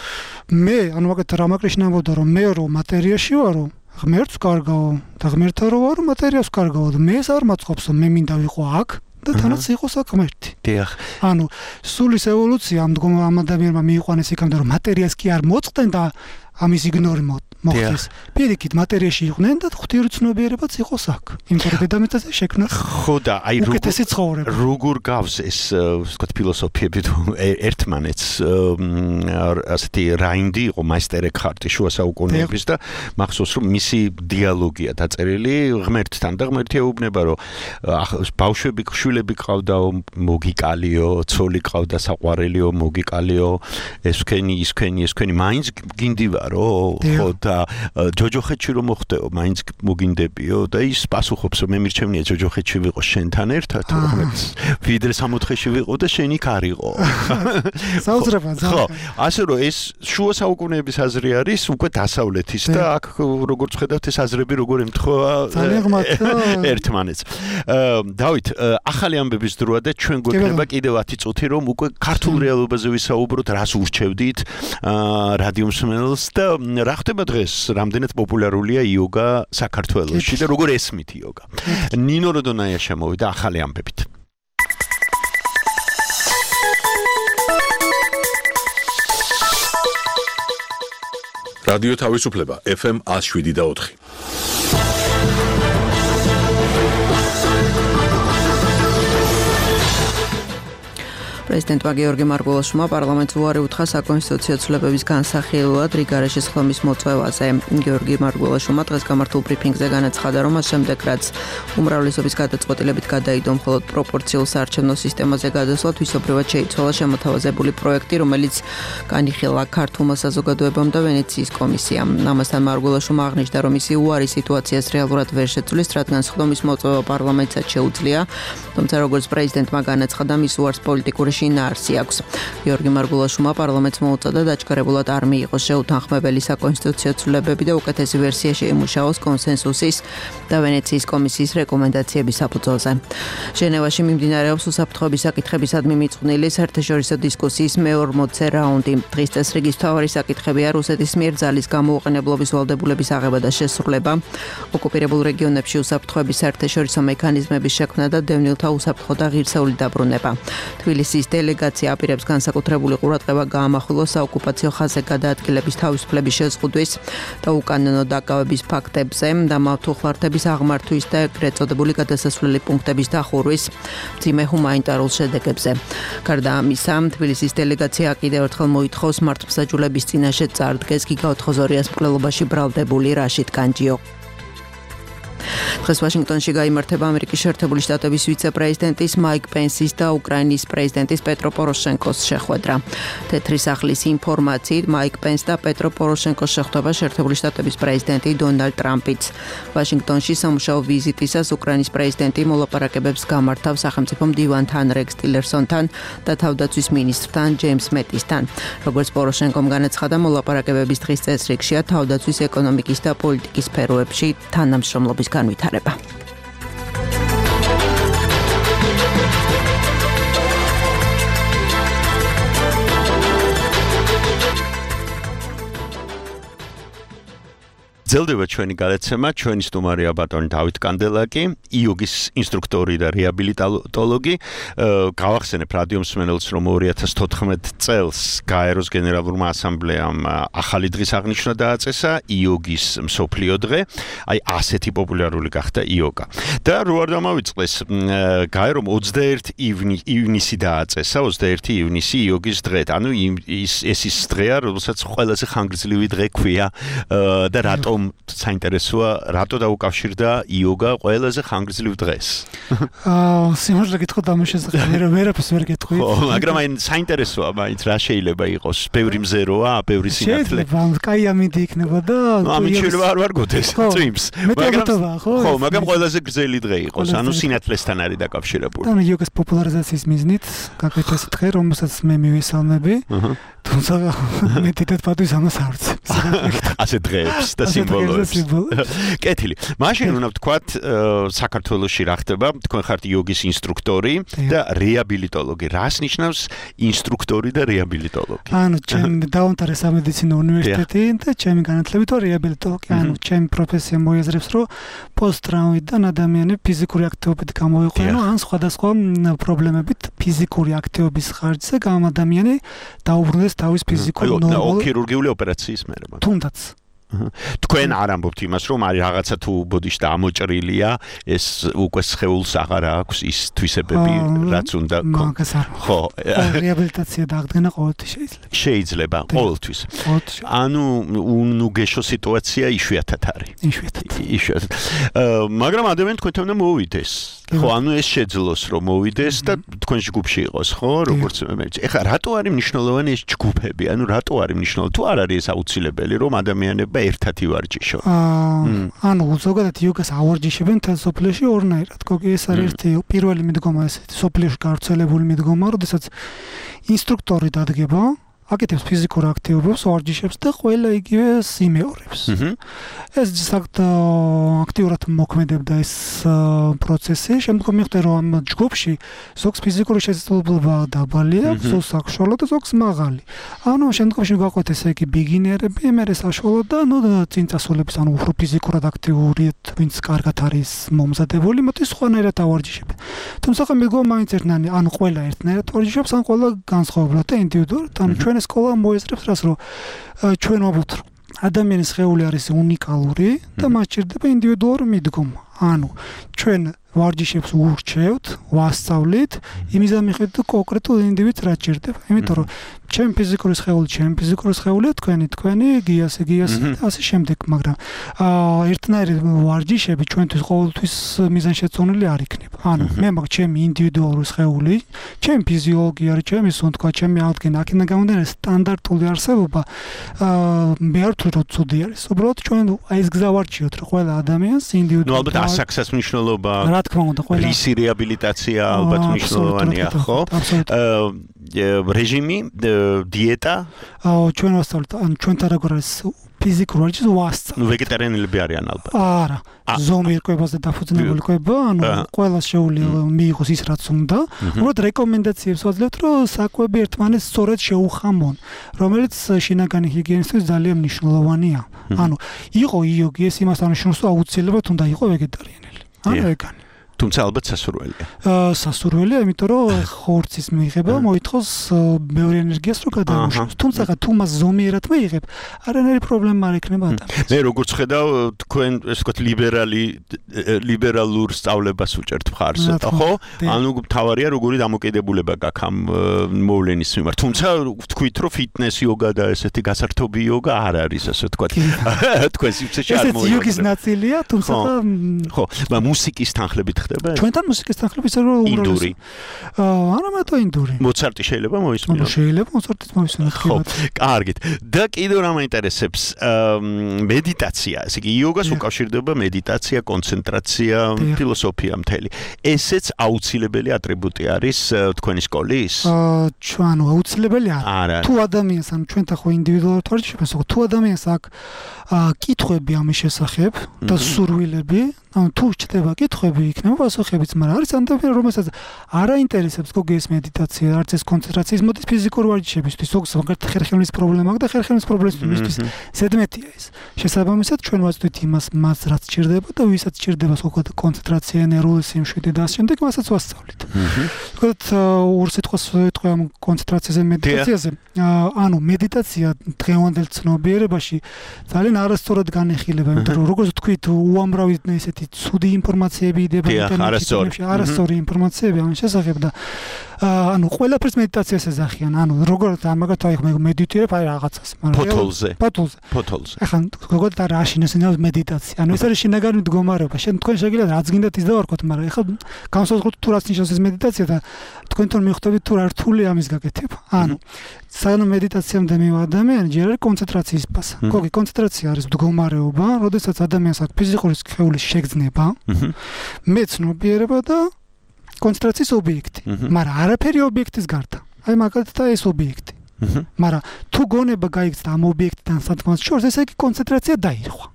მე, ანუ მაგათ რამა კრიშნა ამბობდა, რომ მე რო მატერიაში ვარო, ღმერთს ვკარგავო და ღმერთთან რო ვარო, მატერიას ვკარგავო და მე ეს არ მაწყობს, მე მინდა ვიყო აქ და თანაც იყოს აქ ღმერთი. დიახ. ანუ სულის ევოლუცია ამ ამ ადამიანმა მიიყვანეს იქამდე, რომ მატერიას კი არ მოწყდნენ და ამის იგნორი მოხდეს. პირიქით მატერიაში იყვნენ და ღვთიური ცნობიერებაც იყოს აქ. იმიტომ რომ დედამიწაზე შექმნა ხო და აი უკეთესი ცხოვრება. როგორ გავს ეს ვთქვათ ფილოსოფიები თუ ერთმანეთს ასეთი რაინდი იყო მაისტერ ექჰარტი შუა საუკუნეების და მახსოვს რომ მისი დიალოგია დაწერილი ღმერთთან და ღმერთი ეუბნება რომ ბავშვები შვილები ყავდაო მოგიკალიო, ცოლი ყავდა საყვარელიო, მოგიკალიო, ეს ვქენი, ის ვქენი, ეს ვქენი, მაინც გინდივარო, ხო და ჯოჯოხეთში რომ მოხდეო, მაინც მოგინდებიო და ის პასუხობს რომ მე მირჩევნია ჯოჯოხეთში ვიყო შენთან ერთად, რომელიც ვიდრე სამოთხეში ვიყო და შენ იქ არ იყო. საუძრება ხო, ასე რომ ეს შუა საუკუნეების აზრი არის უკვე დასავლეთის და აქ როგორც ხედავთ ეს აზრები როგორ ემთხვევა ერთმანეთს. დავით, ახალი ამბების დროა და ჩვენ გვექნება კიდევ ათი წუთი რომ უკვე ქართულ რეალობაზე ვისაუბროთ, რას ურჩევდით რადიო მსმენელს და რა ხდება დღეს, რამდენად პოპულარულია იოგა საქართველოში და როგორ ესმით იოგა. ნინო როდონაია შემოვიდა ახალი ამბებით. რადიო თავისუფლება ეფ ემ one oh seven და four. პრეზიდენტმა გიორგი მარგველაშვილმა პარლამენტს უარი უთხრა საკონსტიტუციო ცვლილებების განსახილველად რიგარეშის ხლომის მოწვევაზე. გიორგი მარგველაშვილმა დღეს გამართულ ბრიფინგზე განაცხადა, რომ მას შემდეგ რაც უმრავლესობის გადაწყვეტილებით გადაიდო მხოლოდ პროპორციულ საარჩევნო სისტემაზე გადასვლა, თვისობრივად შეიცვალა შემოთავაზებული პროექტი, რომელიც განიხილა ქართულმა საზოგადოებამ და ვენეციის კომისიამ. ამასთან მარგველაშვილმა აღნიშნა, რომ ისი უარი სიტუაციას რეალურად ვერ შეცვლის, რადგან ხლომის მოწვევა პარლამენტსაც შეუძლია, თუმცა როგორც პრეზიდენტმა განაცხადა, მის უარს პოლიტიკური შინაარსი აქვს. გიორგი მარგველაშვილმა პარლამენტს მოუწოდა დაჩქარებულად არ მიიღოს შეუთანხმებელი საკონსტიტუციო ცვლილებები და უკეთესი ვერსია შეიმუშაოს კონსენსუსის და ვენეციის კომისიის რეკომენდაციების საფუძველზე. ჟენევაში მიმდინარეობს უსაფრთხოების საკითხებისადმი მიწყვნილი საერთაშორისო დისკუსიის მეორმოცე რაუნდი. დღის წესრიგის მთავარი საკითხებია რუსეთის მიერ ძალის გამოუყენებლობის ვალდებულების აღება და შესრულება, ოკუპირებულ რეგიონებში უსაფრთხოების საერთაშორისო მექანიზმების შექმნა და დევნილთა უსაფრთხო და ღირსეული დაბრუნება. თბილისის დელეგაცია აპირებს განსაკუთრებული ყურადღება გაამახვილოს საოკუპაციო ხაზზე გადაადგილების თავისუფლების შეზღუდვის და უკანონო დაკავების ფაქტებზე და მავთუხლართების აღმართვის და ეგრეთ წოდებული გადასასვლელი პუნქტების დახურვის მძიმე ჰუმანიტარულ შედეგებზე. გარდა ამისა, თბილისის დელეგაცია კიდევ ერთხელ მოითხოვს მართლმსაჯულების წინაშე წარდგეს გიგაოთხოზორიას მკვლელობაში ბრალდებული რაშიდ განჯიო. დღეს ვაშინგტონში გაიმართება ამერიკის შეერთებული შტატების ვიცე-პრეზიდენტის მაიკ პენსის და უკრაინის პრეზიდენტის პეტრო პოროშენკოს შეხვედრა. თეთრი სახლის ინფორმაციით, მაიკ პენს და პეტრო პოროშენკოს შეხვდება შეერთებული შტატების პრეზიდენტი დონალდ ტრამპიც. ვაშინგტონში სამუშაო ვიზიტისას უკრაინის პრეზიდენტი მოლაპარაკებებს გამართავს სახელმწიფო მდივანთან რეკს ტილერსონთან და თავდაცვის მინისტრთან ჯეიმს მეტისთან. როგორც პოროშენკომ განაცხადა, მოლაპარაკებების დღის წესრიგშია თავდაცვის ეკონომიკის და პოლიტიკის სფეროებში თანამშრომლობის განვითარება. ძელდება ჩვენი გადაცემა, ჩვენი სტუმარია ბატონი დავით კანდელაკი, იოგის ინსტრუქტორი და რეაბილიტოლოგი. გავახსენებ რადიო მსმენელს, რომ ორი ათას თოთხმეტ წელს გაეროს გენერალურმა ასამბლეამ ახალი დღის აღნიშვნა დააწესა, იოგის მსოფლიო დღე. აი ასეთი პოპულარული გახდა იოგა. და რო არ დამავიწყდეს, გაერომ ოცდაერთი ივნისი დააწესა, ოცდაერთი ივნისი იოგის დღეთ. ანუ ეს ის დღეა, რომელსაც ყველაზე ხანგრძლივი დღე ქვია და რატომ საინტერესოა, რატო დაუკავშირდა იოგა ყველაზე ხანგრძლივ დღეს? აა, სიმართლე გითხრათ ამ შესახებ ვერაფერს ვერ გეტყვი. ხო, მაგრამ აი საინტერესოა, მაინც რა შეიძლება იყოს? ბევრი მზეროა, ბევრი სინათლე. შეიძლება, კაი ამინდი იქნება და ამით შეიძლება არ ვარგოდეს წვიმს. მაგრამ ხო, ხო, მაგრამ ყველაზე გრძელი დღე იყოს, ანუ სინათლესთან არის დაკავშირებული. ანუ იოგას პოპულარიზაციის მიზნით გაკეთდა ეს დღე, რომელსაც მე მივესალმები. თუმცა მე თვითონ პატვის ამას არ ვცემ. ასე დღეებს და სიმბოლოებს. კეთილი. მაშინ უნდა ვთქვათ, საქართველოში რა ხდება? თქვენ ხართ იოგის ინსტრუქტორი და რეაბილიტოლოგი. რას ნიშნავს ინსტრუქტორი და რეაბილიტოლოგი? ანუ ჩემი დაამთავრე სამედიცინო უნივერსიტეტი და ჩემი განათლებით ვარ რეაბილიტოლოგი. ანუ ჩემი პროფესია მოიაზრებს, რომ პოსტტრაუმიდან ადამიანები ფიზიკური აქტივობით გამოიყვანო, ან სხვადასხვა პრობლემებით ფიზიკური აქტივობის ხარჯზე გამ ადამიანი დაუბრუნდეს თავის ფიზიკურ ნორმალურ ქირურგიული ოპერაციის მერე. თუნდაც თქვენ არ ამბობთ იმას, რომ არის რაღაცა თუ ბოდიში და ამოჭრილია, ეს უკვე სხეულს აღარ აქვს ის თვისებები, რაც უნდა მაგას არ ხო, რეაბილიტაცია დაახდენა ყოველთვის შეიძლება. შეიძლება, ყოველთვის. ანუ უნუგეშო სიტუაცია იშვიათად არის. იშვიათად. იშვიათად. მაგრამ ადამიანი თქვენთან უნდა მოვიდეს. ხო, ანუ ეს შეძლოს რომ მოვიდეს და თქვენ ჯგუფში იყოს, ხო, როგორც მე. ეხლა რატო არის მნიშვნელოვანი ეს ჯგუფები? ანუ რატო არის მნიშვნელოვანი? თუ არ არის ეს აუცილებელი, რომ ადამიანები ერთად ივარჯიშონ? აა, ანუ ზოგადად იოგას ავარჯიშებენ თელ სოფლიოში ორნაირად. გოგი ეს არის ერთი პირველი მიდგომა ესეთი სოფლიოში გავრცელებული მიდგომა, როდესაც ინსტრუქტორი დადგება, აკეთებს ფიზიკურ აქტივობას, ვარჯიშებს და ყველა იგივე იმეორებს. ეს საერთოდ აქტიურად მოქმედებდა ეს პროცესი. შემდგომ მიხვდა რომ ამ ჯგუფში ზოგს ფიზიკური შესაძლებლობა დაბალია, ზოგს საშუალო და ზოგს მაღალი. ანუ შემდგომში გაყვეთ ესე იგი ბიგინერები, მერე საშუალო და ნუ წინ წასულების, ანუ უფრო ფიზიკურად აქტიური, ვინც კარგად არის მომზადებული, მოდი სხვანაირად ავარჯიშებენ. თუმცა მეგონა მაინც ერთნაირი, ანუ ყველა ერთნაირად ვარჯიშობს, ან ყველა განსხვავებულად და ინდივიდუალურად. ანუ ჩვენ სკოლა მოესწრებს რას, რომ ჩვენ ვაბოთ ადამიანის სხეული არის უნიკალური და მას ჭირდება ინდივიდუალური მიდგომა. ანუ ჩვენ ვარჯიშებს ურჩევთ, ვასწავლით, იმის ამიხეთ კონკრეტულ ინდივიდს რა ჭირდება. იმიტომ რომ ჩემი ფიზიკური სხეული, ჩემი ფიზიკური სხეულია, თქვენი, თქვენი, გიასი, გიასი, ასე შემდეგ, მაგრამ აა ერთნაირი ვარჯიშები ჩვენთვის ყოველთვის მიზანშეწონილი არ იქნება. ანუ მე მაგ ჩემი ინდივიდუალური სხეული, ჩემი ფიზიოლოგია, ჩემი სუნთქვა, ჩემი აღდგენა, აქედან გამომდინარე სტანდარტული არსებობა აა მე არ ვთვლი რომ ცუდი არის. უბრალოდ ჩვენ აი ეს გზა ვარჩიოთ, რომ ყველა ადამიანს ინდივიდუალურად ნუ ალბათ ასაქსას მნიშვნელობა რა თქმა უნდა ყველა რისი რეაბილიტაცია ალბათ მნიშვნელოვანია, ხო? რეჟიმი, დიეტა? აა ჩვენ ვასწავლეთ, ანუ ჩვენთან როგორ არის ფიზიკურ ვარჯიშს ვასწავლეთ. ნუ ვეგეტარიანელები არიან ალბათ. არა. ზომიერ კვებაზე დაფუძნებული კვება, ანუ ყველას შეუძლია მიიღოს ის რაც უნდა. უბრალოდ რეკომენდაციებს ვაძლევთ, რომ საკვები ერთმანეთს სწორედ შეუხამონ, რომელიც შინაგანი ჰიგიენისთვის ძალიან მნიშვნელოვანია. ანუ იყო იოგი, ეს იმას ანიშნავს, რომ აუცილებლად უნდა იყოს ვეგეტარიანელი. ან ვეგანი. თუმცა ალბათ სასურველია. აა სასურველია, იმიტომ რომ ხორცის მიღება მოითხოვს ბევრი ენერგიას რო გადაუშვოს. თუმცა თუ მას ზომიერად მიიღებ, არანაირი პრობლემა არ ექნება ადამიანს. მე როგორც ხედავ, თქვენ ესე ვთქვათ ლიბერალი ლიბერალურ სწავლებას უჭერთ მხარს, ხო? ანუ თავარია როგორი დამოკიდებულება გაქვს ამ მოვლენის მიმართ. თუმცა ვთქვით, რომ ფიტნეს იოგა და ესეთი გასართობი იოგა არ არის, ასე ვთქვათ. თქვენ სივრცეში არ მოიყვება. ეს იოგის ნაწილია, თუმცა ხო, მაგრამ მუსიკის თანხლებით ხდება? ჩვენთან მუსიკის თანხლებით ისე რომ ინდური. აა არა მარტო ინდური. მოცარტი შეიძლება მოისმინოს? შეიძლება მოცარტიც მოისმინოს. ხო, კარგით. და კიდევ რა მაინტერესებს, მედიტაცია, ესე იგი იოგას უკავშირდება მედიტაცია, კონცენტრაცია, ფილოსოფია მთელი. ესეც აუცილებელი ატრიბუტი არის თქვენი სკოლის? აა ჩვენ აუცილებელი არა. თუ ადამიანს ან ჩვენთან ხო ინდივიდუალურად ვარჯიშობთ, ხო თუ ადამიანს აქვს კითხვები ამის შესახებ და სურვილები, ანუ თუ ჩდება კითხვები იქნება პასუხებიც, მაგრამ არის ადამიანი, რომელსაც არ აინტერესებს გოგი ეს მედიტაცია, არც ეს კონცენტრაციის მოდის ფიზიკური ვარჯიშებისთვის, ზოგს მაგალითად ხერხემლის პრობლემა აქვს და ხერხემლის პრობლემისთვის ზედმეტია ეს. შესაბამისად ჩვენ ვაწვდით იმას, მას რაც ჭირდება და ვისაც ჭირდება სხვაგვარად კონცენტრაცია, ნერვული სიმშვიდე და ასე შემდეგ, მასაც ვასწავლით. თქვათ ორ სიტყვას ვეთქვი ამ კონცენტრაციაზე, მედიტაციაზე. ანუ მედიტაცია დღევანდელ ცნობიერებაში ძალიან არასწორად განეხილება, იმიტომ რომ როგორც ვთქვით, უამრავი ესეთი ცუდი ინფორმაციები იდება ინტერნეტში, არასწორი ინფორმაციები ამის შესახებ და ანუ ყველაფერს მედიტაციას ეძახიან. ანუ როგორც ამაგათ აი მე მედიტირებ აი რაღაცას, მაგრამ ფოთოლზე. ფოთოლზე. ფოთოლზე. ახლა როგორც არ აშინოს მედიტაცია. ანუ ეს არის შინაგანი მდგომარეობა. შენ თქვენ შეგიძლიათ რაც გინდათ ის დავარქოთ, მაგრამ ახლა განსაზღვროთ თუ რაც ნიშნავს ეს მედიტაცია და თქვენთან მიხვდებით თუ რა რთული ამის გაკეთება. ანუ სანამ მედიტაციამდე მივა ადამიანი, ჯერ არის კონცენტრაციის ფაზა. გოგი კონცენტრაცია არის მდგომარეობა, როდესაც ადამიანს აქვს ფიზიკური სხეულის შეგრძნება, მეცნობიერება და კონცენტრაციის ობიექტი. მაგრამ არაფერი ობიექტის გარდა. აი მაგალითად ეს ობიექტი. მაგრამ თუ გონება გაიქცა ამ ობიექტთან სათქმას შორს, ესე იგი კონცენტრაცია დაირღვა.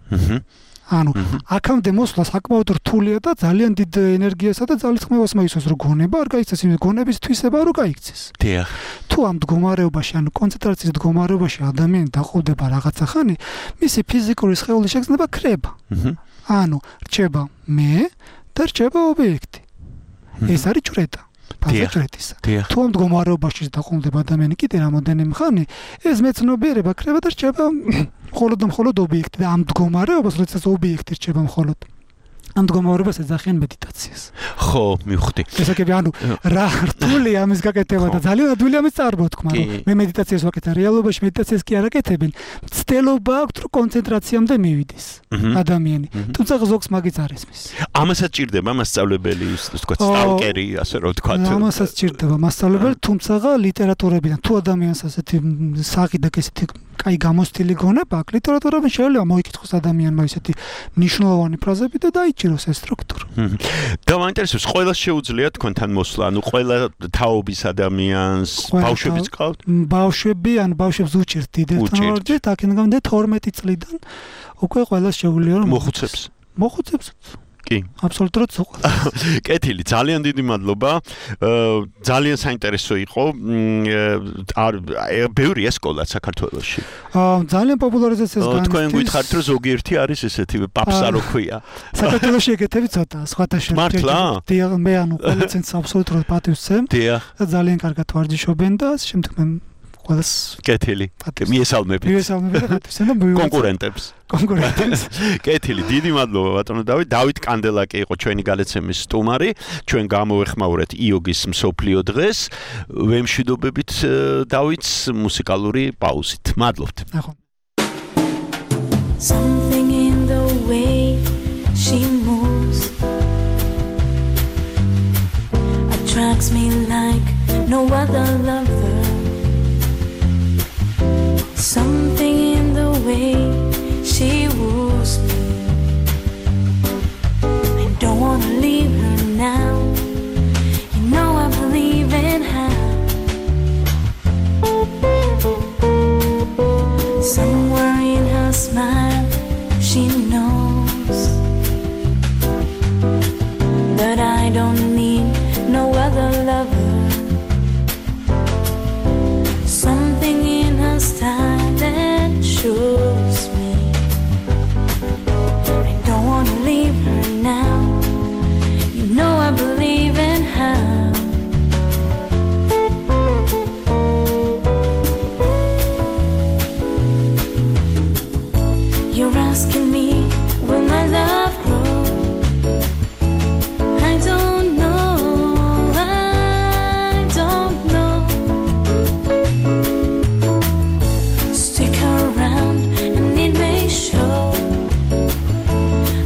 ანუ აქამდე მოსვლა საკმაოდ რთულია და ძალიან დიდ ენერგიასა და ძალისხმევას მოისურვებს, რომ გონება არ გაიქცეს, იმ გონების თვისება რო გაიქცეს. დიახ. თუ ამ მდგომარეობაში, ანუ კონცენტრაციის მდგომარეობაში ადამიანი დაყრდნობა რაღაცა ხანი, მისი ფიზიკური სხეულის შეგრძნება ქრება. ანუ რჩება მე და რჩება ობიექტი. ეს არის ჭრედა. ფაზაჭრეტისა. თუ ამ მდგომარეობაში დაყრდნობა ადამიანი კიდე რამოდენიმე ხანი, ეს მეცნობიერება ქრება და რჩება მხოლოდ და მხოლოდ ობიექტი და ამ მდგომარეობას, როდესაც ობიექტი რჩება მხოლოდ ამ მდგომარეობას ეძახიან მედიტაციას. ხო, მივხვდი. ესაკები ანუ რა რთული ამის გაკეთება და ძალიან ადვილი ამის წარმოთქმა, რომ მე მედიტაციას ვაკეთებ, რეალობაში მედიტაციას კი არ აკეთებენ. ცდელობა აქვს, რომ კონცენტრაციამდე მივიდეს ადამიანი. თუმცა ზოგს მაგიც არ ესმის. ამასაც ჭირდება მასწავლებელი, ვთქვათ, სტალკერი, ასე რომ ვთქვათ. ამასაც ჭირდება მასწავლებელი, თუმცა ლიტერატურებიდან თუ ადამიანს ასეთი საყიდაკ ესეთი კაი გამოსტილი გონება აქვს, ლიტერატურában შეიძლება მოიკითხოს ადამიანმა ესეთი მნიშვნელოვანი ფრაზები და დაიჭიროს ეს სტრუქტურა. და მაინტერესებს, ყველას შეუძლია თქვენთან მოსვლა, ანუ ყველა თაობის ადამიანს, ბავშვებიც ყავთ? ბავშვები, ან ბავშვებს უჭერთ დიდებთან ვარჯიშს, აქედან გამომდინარე თორმეტი წლიდან უკვე ყველას შეუძლია რომ მოხუცებს. მოხუცებს? კი. აბსოლუტურად სულ. კეთილი, ძალიან დიდი მადლობა. ძალიან საინტერესო იყო. არ ბევრია სკოლა საქართველოში. ძალიან პოპულარიზაციას განიცდის. თქვენ გითხარით, რომ ზოგიერთი არის ესეთი პაპსა რო ქვია. საქართველოში ეგეთები ცოტა, სხვათა შორის. მართლა? დიახ, მე ანუ ყველა ცენტრს აბსოლუტურად პატივს ვცემ. დიახ. და ძალიან კარგად ვარჯიშობენ და შემდეგ მე ყველას კეთილი. მიესალმებით. მიესალმებით ხათვისთან და მივიღეთ კონკურენტებს. კონკურენტებს. კეთილი, დიდი მადლობა ბატონო დავით. დავით კანდელაკი იყო ჩვენი გალეცემის სტუმარი. ჩვენ გამოვეხმაურეთ იოგის მსოფლიო დღეს. ვემშვიდობებით დავითს მუსიკალური პაუზით. მადლობთ. ნახო. Something in the way she moves attracts me like no other lover. Something in the way she woos me. I don't wanna leave her now. You know I believe in her. Somewhere in her smile she knows that I don't need no other lover. Something in her style that shows me I don't wanna leave her now. You know I believe in her. You're asking me, will my love grow? I don't know, I don't know. Stick around and it may show.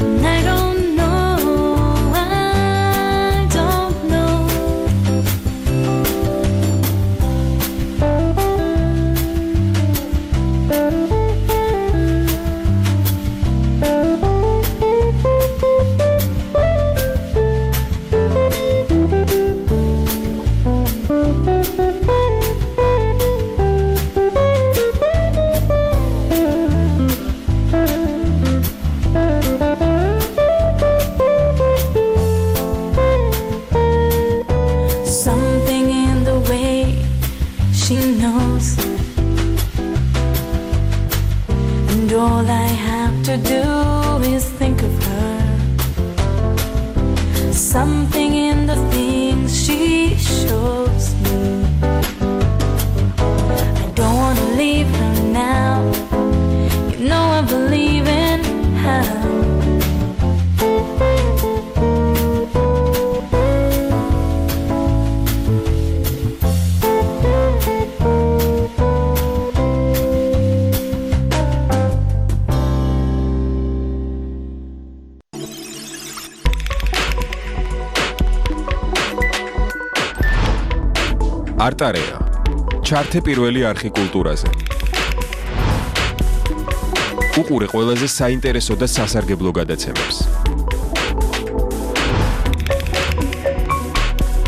And I don't know, I don't know. Something in the way she knows, and all I have to do is think of her. Something in the things she shows me. I don't wanna leave her now. You know I believe in her. არტარეა. ჩართე პირველი არხი კულტურაზე. უყურე ყველაზე საინტერესო და სასარგებლო გადაცემებს.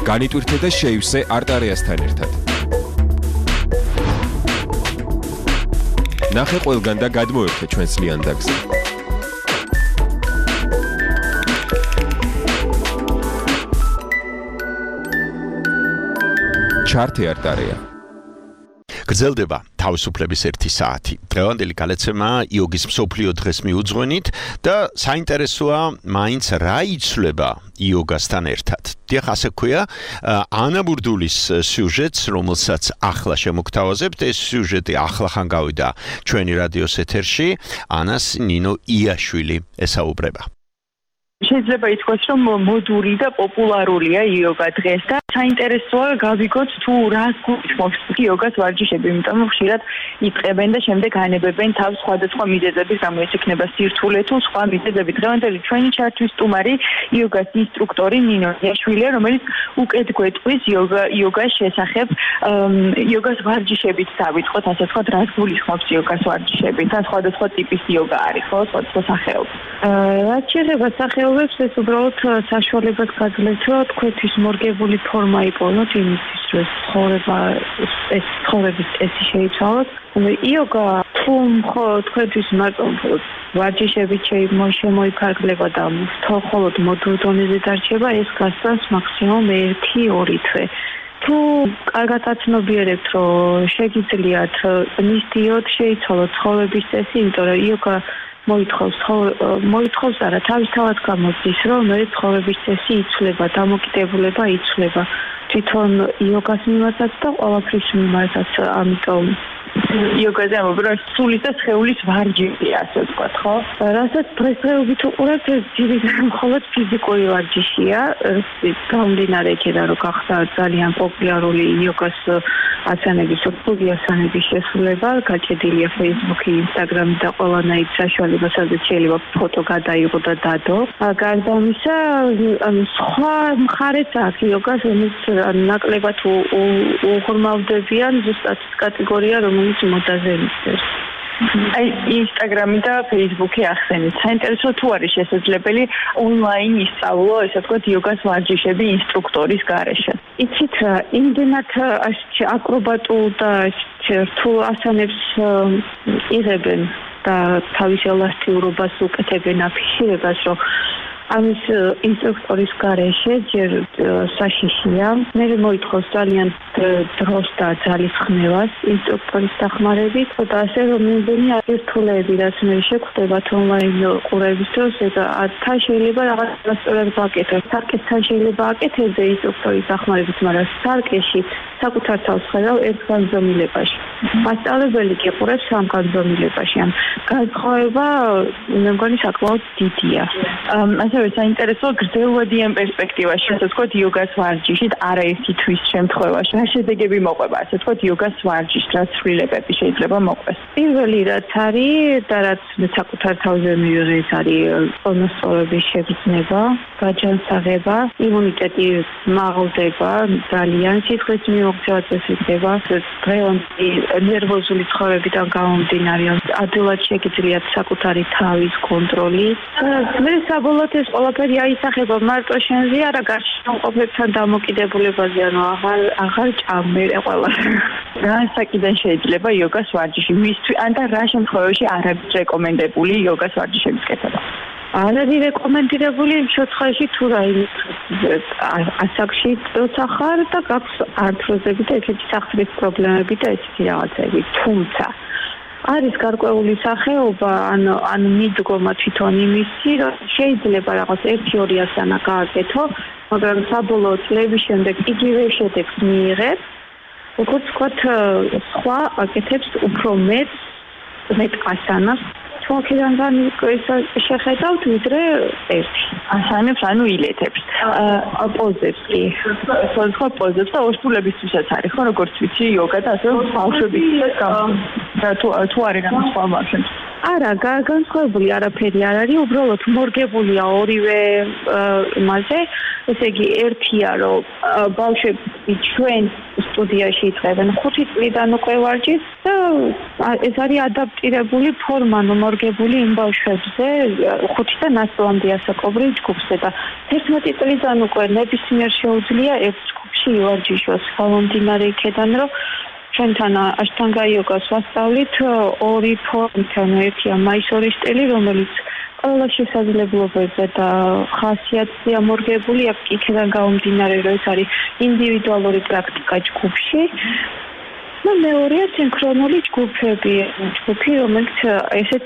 განიტვირთე და შეივსე არტარეასთან ერთად. ნახე ყველგან და გადმოერთე ჩვენს ლიანდაგზე. ჩართე არტარეა. გრძელდება თავისუფლების ერთი საათი. დღევანდელი გალეცემა იოგის მსოფლიო დღეს მიუძღვენით და საინტერესოა მაინც რა იცვლება იოგასთან ერთად. დიახ, ასე ქვია, ანა ბურდულის სიუჟეტს, რომელსაც ახლა შემოგთავაზებთ, ეს სიუჟეტი ახლახან გავიდა ჩვენი რადიოს ეთერში. ანას ნინო იაშვილი ესაუბრება. შეიძლება ითქვას, რომ მოდური და პოპულარულია იოგა დღეს და საინტერესოა გავიგოთ თუ რას გულისხმობს იოგას ვარჯიშები, იმიტომ რომ ხშირად იწყებენ და შემდეგ ანებებენ თავს სხვადასხვა მიზეზების გამო, ეს იქნება სირთულე თუ სხვა მიზეზები. დღევანდელი ჩვენი ჩართვის სტუმარი იოგას ინსტრუქტორი ნინო იაშვილია, რომელიც უკეთ გვეტყვის იოგა იოგას შესახებ, იოგას ვარჯიშებით დავიწყოთ, ასე ვთქვათ, რას გულისხმობს იოგას ვარჯიშები და სხვადასხვა ტიპის იოგა არის, ხო, სხვადასხვა სახეობის. რაც შეეხება სახეობებს, ეს უბრალოდ საშუალებას გაძლევთ, რომ თქვენთვის მორგებული ფორმა იპოვოთ იმისთვის, რომ ცხოვრება ეს ცხოვრების წესი შეიცვალოთ. იოგა თუ მხოლოდ თქვენთვის მარტო ვარჯიშებით შემოიფარგლება და მხოლოდ მოდურ დონეზე დარჩება, ეს გასცემს მაქსიმუმ ერთი ორი თვე. თუ კარგად აცნობიერებთ, რომ შეგიძლიათ მისდიოთ, შეიცვალოთ ცხოვრების წესი, იმიტომ რომ იოგა მოითხოვს მოითხოვს არა თავისთავად გამოდის, რომ მე ცხოვრების წესი იცვლება, დამოკიდებულება იცვლება. თვითონ იოგას მიმართაც და ყველაფრის მიმართაც, ამიტომ იოგაზე ამბობენ, სულის და სხეულის ვარჯიშია, ასე ვთქვათ, ხო? რასაც დღესდღეობით უყურებთ, ძირითადად მხოლოდ ფიზიკური ვარჯიშია, გამომდინარე იქიდან, რომ გახდა ძალიან პოპულარული იოგას ასანების, რთული ასანების შესრულება, გაჭედილია Facebook-ი, Instagram-ი და ყველანაირ საშუალება, სადაც შეიძლება ფოტო გადაიღო და დადო. გარდა ამისა, სხვა მხარეც აქვს იოგას, რომელიც ნაკლებად უღრმავდებიან, ზუსტად კატეგორია, რომელიც მოდაზე მისდევს. აი, Instagram-ი და Facebook-ი ახსენეთ. საინტერესო თუ არის შესაძლებელი ონლაინ ისწავლო, ესე ვთქვათ, იოგას ვარჯიშები ინსტრუქტორის გარეშე. იცით რა, იმდენად აკრობატულ და რთულ ასანებს იღებენ და თავის ელასტიურობას უკეთებენ აფიშირებას, რომ ამის ინსტრუქტორის გარეშე ჯერ საშიშია. მე მოითხოვს ძალიან დროს და ძალის ხმევას ინსტრუქტორის დახმარებით და ასე რომ მიმდენი ერთულები, რაც მე შეხვდებათ ონლაინ ყურების დროს, თან შეიძლება რაღაც სწორად ვაკეთო. სარკესთან შეიძლება აკეთებდე ინსტრუქტორის დახმარებით, მაგრამ სარკეში საკუთარ თავს ხედავ ერთ განზომილებაში. მასწავლებელი გიყურებს სამ განზომილებაში. ან განსხვავება მე მგონი საკმაოდ დიდია. ასევე საინტერესო გრძელვადიან პერსპექტივაში, ასე ვთქვათ, იოგას ვარჯიშით არაერთი თვის შემთხვევაში. რა შედეგები მოყვება, ასე ვთქვათ, იოგას ვარჯიშით, რა ცვლილებები შეიძლება მოყვეს? პირველი რაც არის და რაც მე საკუთარ თავზე მივიღე, ეს არის წონასწორობის შეგრძნება, გაჯანსაღება, იმუნიტეტი მაღლდება, ძალიან სითხლის მიმოქცევა წესდება, დღევანდელი ნერვოზული ცხოვრებიდან გამომდინარე, ადვილად შეგიძლიათ საკუთარი თავის კონტროლი. მე საბოლოოდ ეს ყველაფერი აისახება მარტო შენზე, არა გარშემო მყოფებთან დამოკიდებულებაზე, ანუ აღარ აღარ ჭამერე ყველა. რა საკიდან შეიძლება იოგას ვარჯიში მისთვის, ან და რა შემთხვევაში არ არის რეკომენდებული იოგას ვარჯიშების კეთება? არ არის რეკომენდირებული იმ შემთხვევაში, თუ რაიმე ასაკში როცა ხარ და გაქვს ართროზები და ეგეთი სახლის პრობლემები და ესეთი რაღაცები, თუმცა არის გარკვეული სახეობა, ანუ ანუ მიდგომა თვითონ იმისი, რომ შეიძლება რაღაც ერთი-ორი ასანა გააკეთო, მაგრამ საბოლოო წლების შემდეგ იგივე შედეგს მიიღებ, როგორც ვთქვათ, სხვა აკეთებს უფრო მეტ მეტ ასანას, თუნდაც შეხედავთ ვიდრე ერთი ასანებს, ანუ ილეთებს, პოზებს კი. სხვა პოზებს და ორსულებისთვისაც არის, ხო, როგორც ვიცი, იოგა და ასევე ბავშვებისთვისაც თუ თუ არის რა სხვა ბავშვებს. არა, განსხვავებული არაფერი არ არის, უბრალოდ მორგებულია ორივე იმაზე, ესე იგი ერთია, რომ ბავშვები ჩვენ სტუდიაში იწყებენ ხუთი წლიდან უკვე ვარჯიშს და ეს არის ადაპტირებული ფორმა, მორგებული იმ ბავშვებზე, ხუთიდან ასამდე ასაკობრივ ჯგუფზე და თერთმეტი წლიდან უკვე ნებისმიერ შეუძლია ერთ ჯგუფში ივარჯიშოს, გამომდინარე იქიდან, რომ ჩვენთან აშტანგა იოგას ვასწავლით ორი ფორმით, ანუ ერთია მაისორის სტილი, რომელიც ყველა შესაძლებლობებზე და ხასიათზე ამორგებული, იქიდან გამომდინარე, რომ ეს არის ინდივიდუალური პრაქტიკა ჯგუფში. და მეორეა სინქრონული ჯგუფები, ჯგუფი, რომელიც ესეც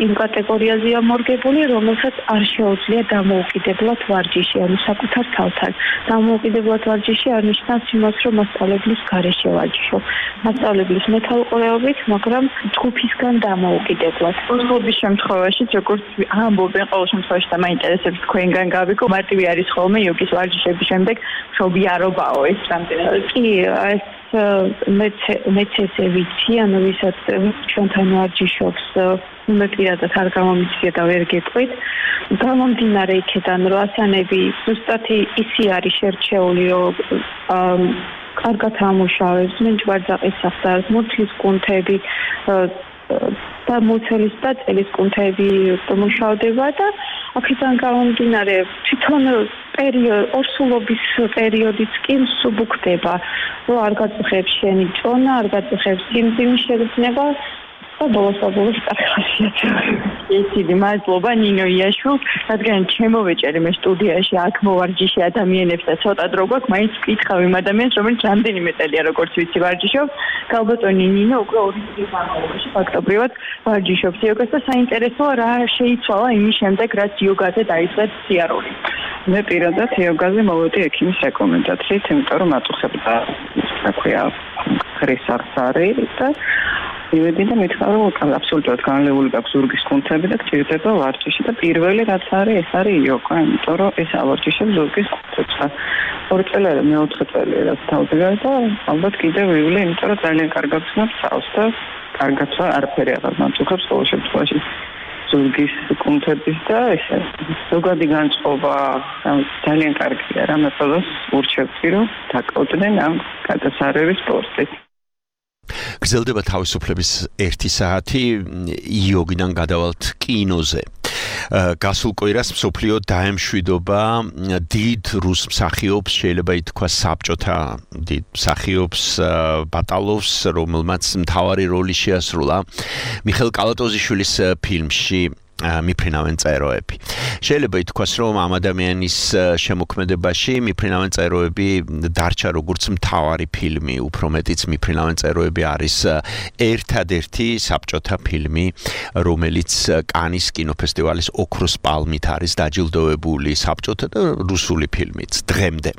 იმ კატეგორიაზეა მორგებული, რომელსაც არ შეუძლია დამოუკიდებლად ვარჯიში, ანუ საკუთარ თავთან. დამოუკიდებლად ვარჯიში არნიშნავს იმას, რომ მასწავლებლის გარეშე ვარჯიშობ. მასწავლებლის მეთვალყურეობით, მაგრამ ჯგუფისგან დამოუკიდებლად. სპორტის შემთხვევაში, როგორც ამბობენ ყოველ შემთხვევაში და მაინტერესებს თქვენგან გავიკო, მარტივი არის ხოლმე იოგის ვარჯიშების შემდეგ მშობიარობაო ეს რამდენად. კი, ეს მეც მეც ესე ვიცი, ანუ ვისაც ჩვენთან ვარჯიშობს, მე პირადად არ გამომიცია და ვერ გეტყვით. გამომდინარე იქიდან, რომ ასანები ზუსტად ისი არის შერჩეული, რომ კარგად ამუშავებს, მენჯვარდაყის სახსარს, მუცლის კუნთები და მუცლის და წელის კუნთები მუშავდება და აქედან გამომდინარე თვითონ პერიოდ ორსულობის პერიოდიც კი მსუბუქდება, რომ არ გაწუხებს შენი წონა, არ გაწუხებს სიმძიმის შეგრძნება და ბოლოს-ბოლოს ხასიათდება. ისიდი მადლობა ნინო იაშვილ, რადგან ჩემოვეჭერი მე სტუდიაში აქ მოვარჯიში ადამიანებს და ცოტა დრო გვაქვს, მაინც ვკითხავ იმ ადამიანს, რომელიც რამდენიმე წელია როგორც ვიცი ვარჯიშობს. გალბატონი ნინო უკვე ორი წლის განმავლობაში ფაქტობრივად ვარჯიშობს იოგას და საინტერესოა რა შეიცვალა იმის შემდეგ, რაც იოგაზე დაიწყეთ სიარული. მე პირადად იოგაზე მოვედი ექიმის რეკომენდაციით, იმიტომ რომ აწუხებდა საქვია ხრისარს არის და მივედი და მითხრა რომ აბსოლუტურად განლეული გაქვს ზურგის კუნთები და გჭირდება ვარჯიში და პირველი რაც არის ეს არის იოგა, იმიტომ რომ ეს ავარჯიშებს ზურგის კუნთებს და ორი წელი არა მეოთხე წელი რაც თავზე და ალბათ კიდევ ვივლი, იმიტომ რომ ძალიან კარგად ვცნობ წავს და კარგად არაფერი აღარ მაწუხებს ყოველ შემთხვევაში ზურგის კუნთების და ესე ზოგადი განწყობა ძალიან კარგია რა მეტყველოს ურჩევთ რომ დაკავდნენ ამ გადასარევი სპორტით. გრძელდება თავისუფლების ერთი საათი იოგიდან გადავალთ კინოზე. გასულ კვირას მსოფლიო დაემშვიდობა დიდ რუს მსახიობს, შეიძლება ითქვას საბჭოთა დიდ მსახიობს ბატალოვს, რომელმაც მთავარი როლი შეასრულა მიხეილ კალატოზიშვილის ფილმში მიფრინავენ წეროები. შეიძლება ითქვას, რომ ამ ადამიანის შემოქმედებაში მიფრინავენ წეროები დარჩა როგორც მთავარი ფილმი, უფრო მეტიც მიფრინავენ წეროები არის ერთადერთი საბჭოთა ფილმი, რომელიც კანის კინოფესტივალის ოქროს პალმით არის დაჯილდოვებული საბჭოთა და რუსული ფილმიც დღემდე.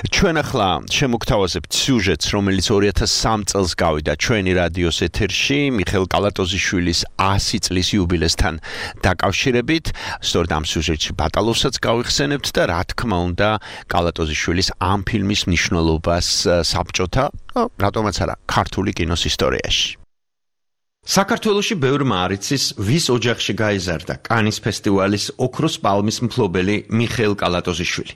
ჩვენ ახლა შემოგთავაზებთ სიუჟეტს, რომელიც ორი ათას სამი წელს გავიდა ჩვენი რადიოს ეთერში მიხეილ კალატოზიშვილის ასი წლის იუბილესთან დაკავშირებით, სწორედ ამ სიუჟეტში ბატალოვსაც გავიხსენებთ და რა თქმა უნდა კალატოზიშვილის ამ ფილმის მნიშვნელობას საბჭოთა, რატომაც არა, ქართული კინოს ისტორიაში. საქართველოში ბევრმა არ იცის, ვის ოჯახში გაიზარდა კანის ფესტივალის ოქროს პალმის მფლობელი მიხეილ კალატოზიშვილი.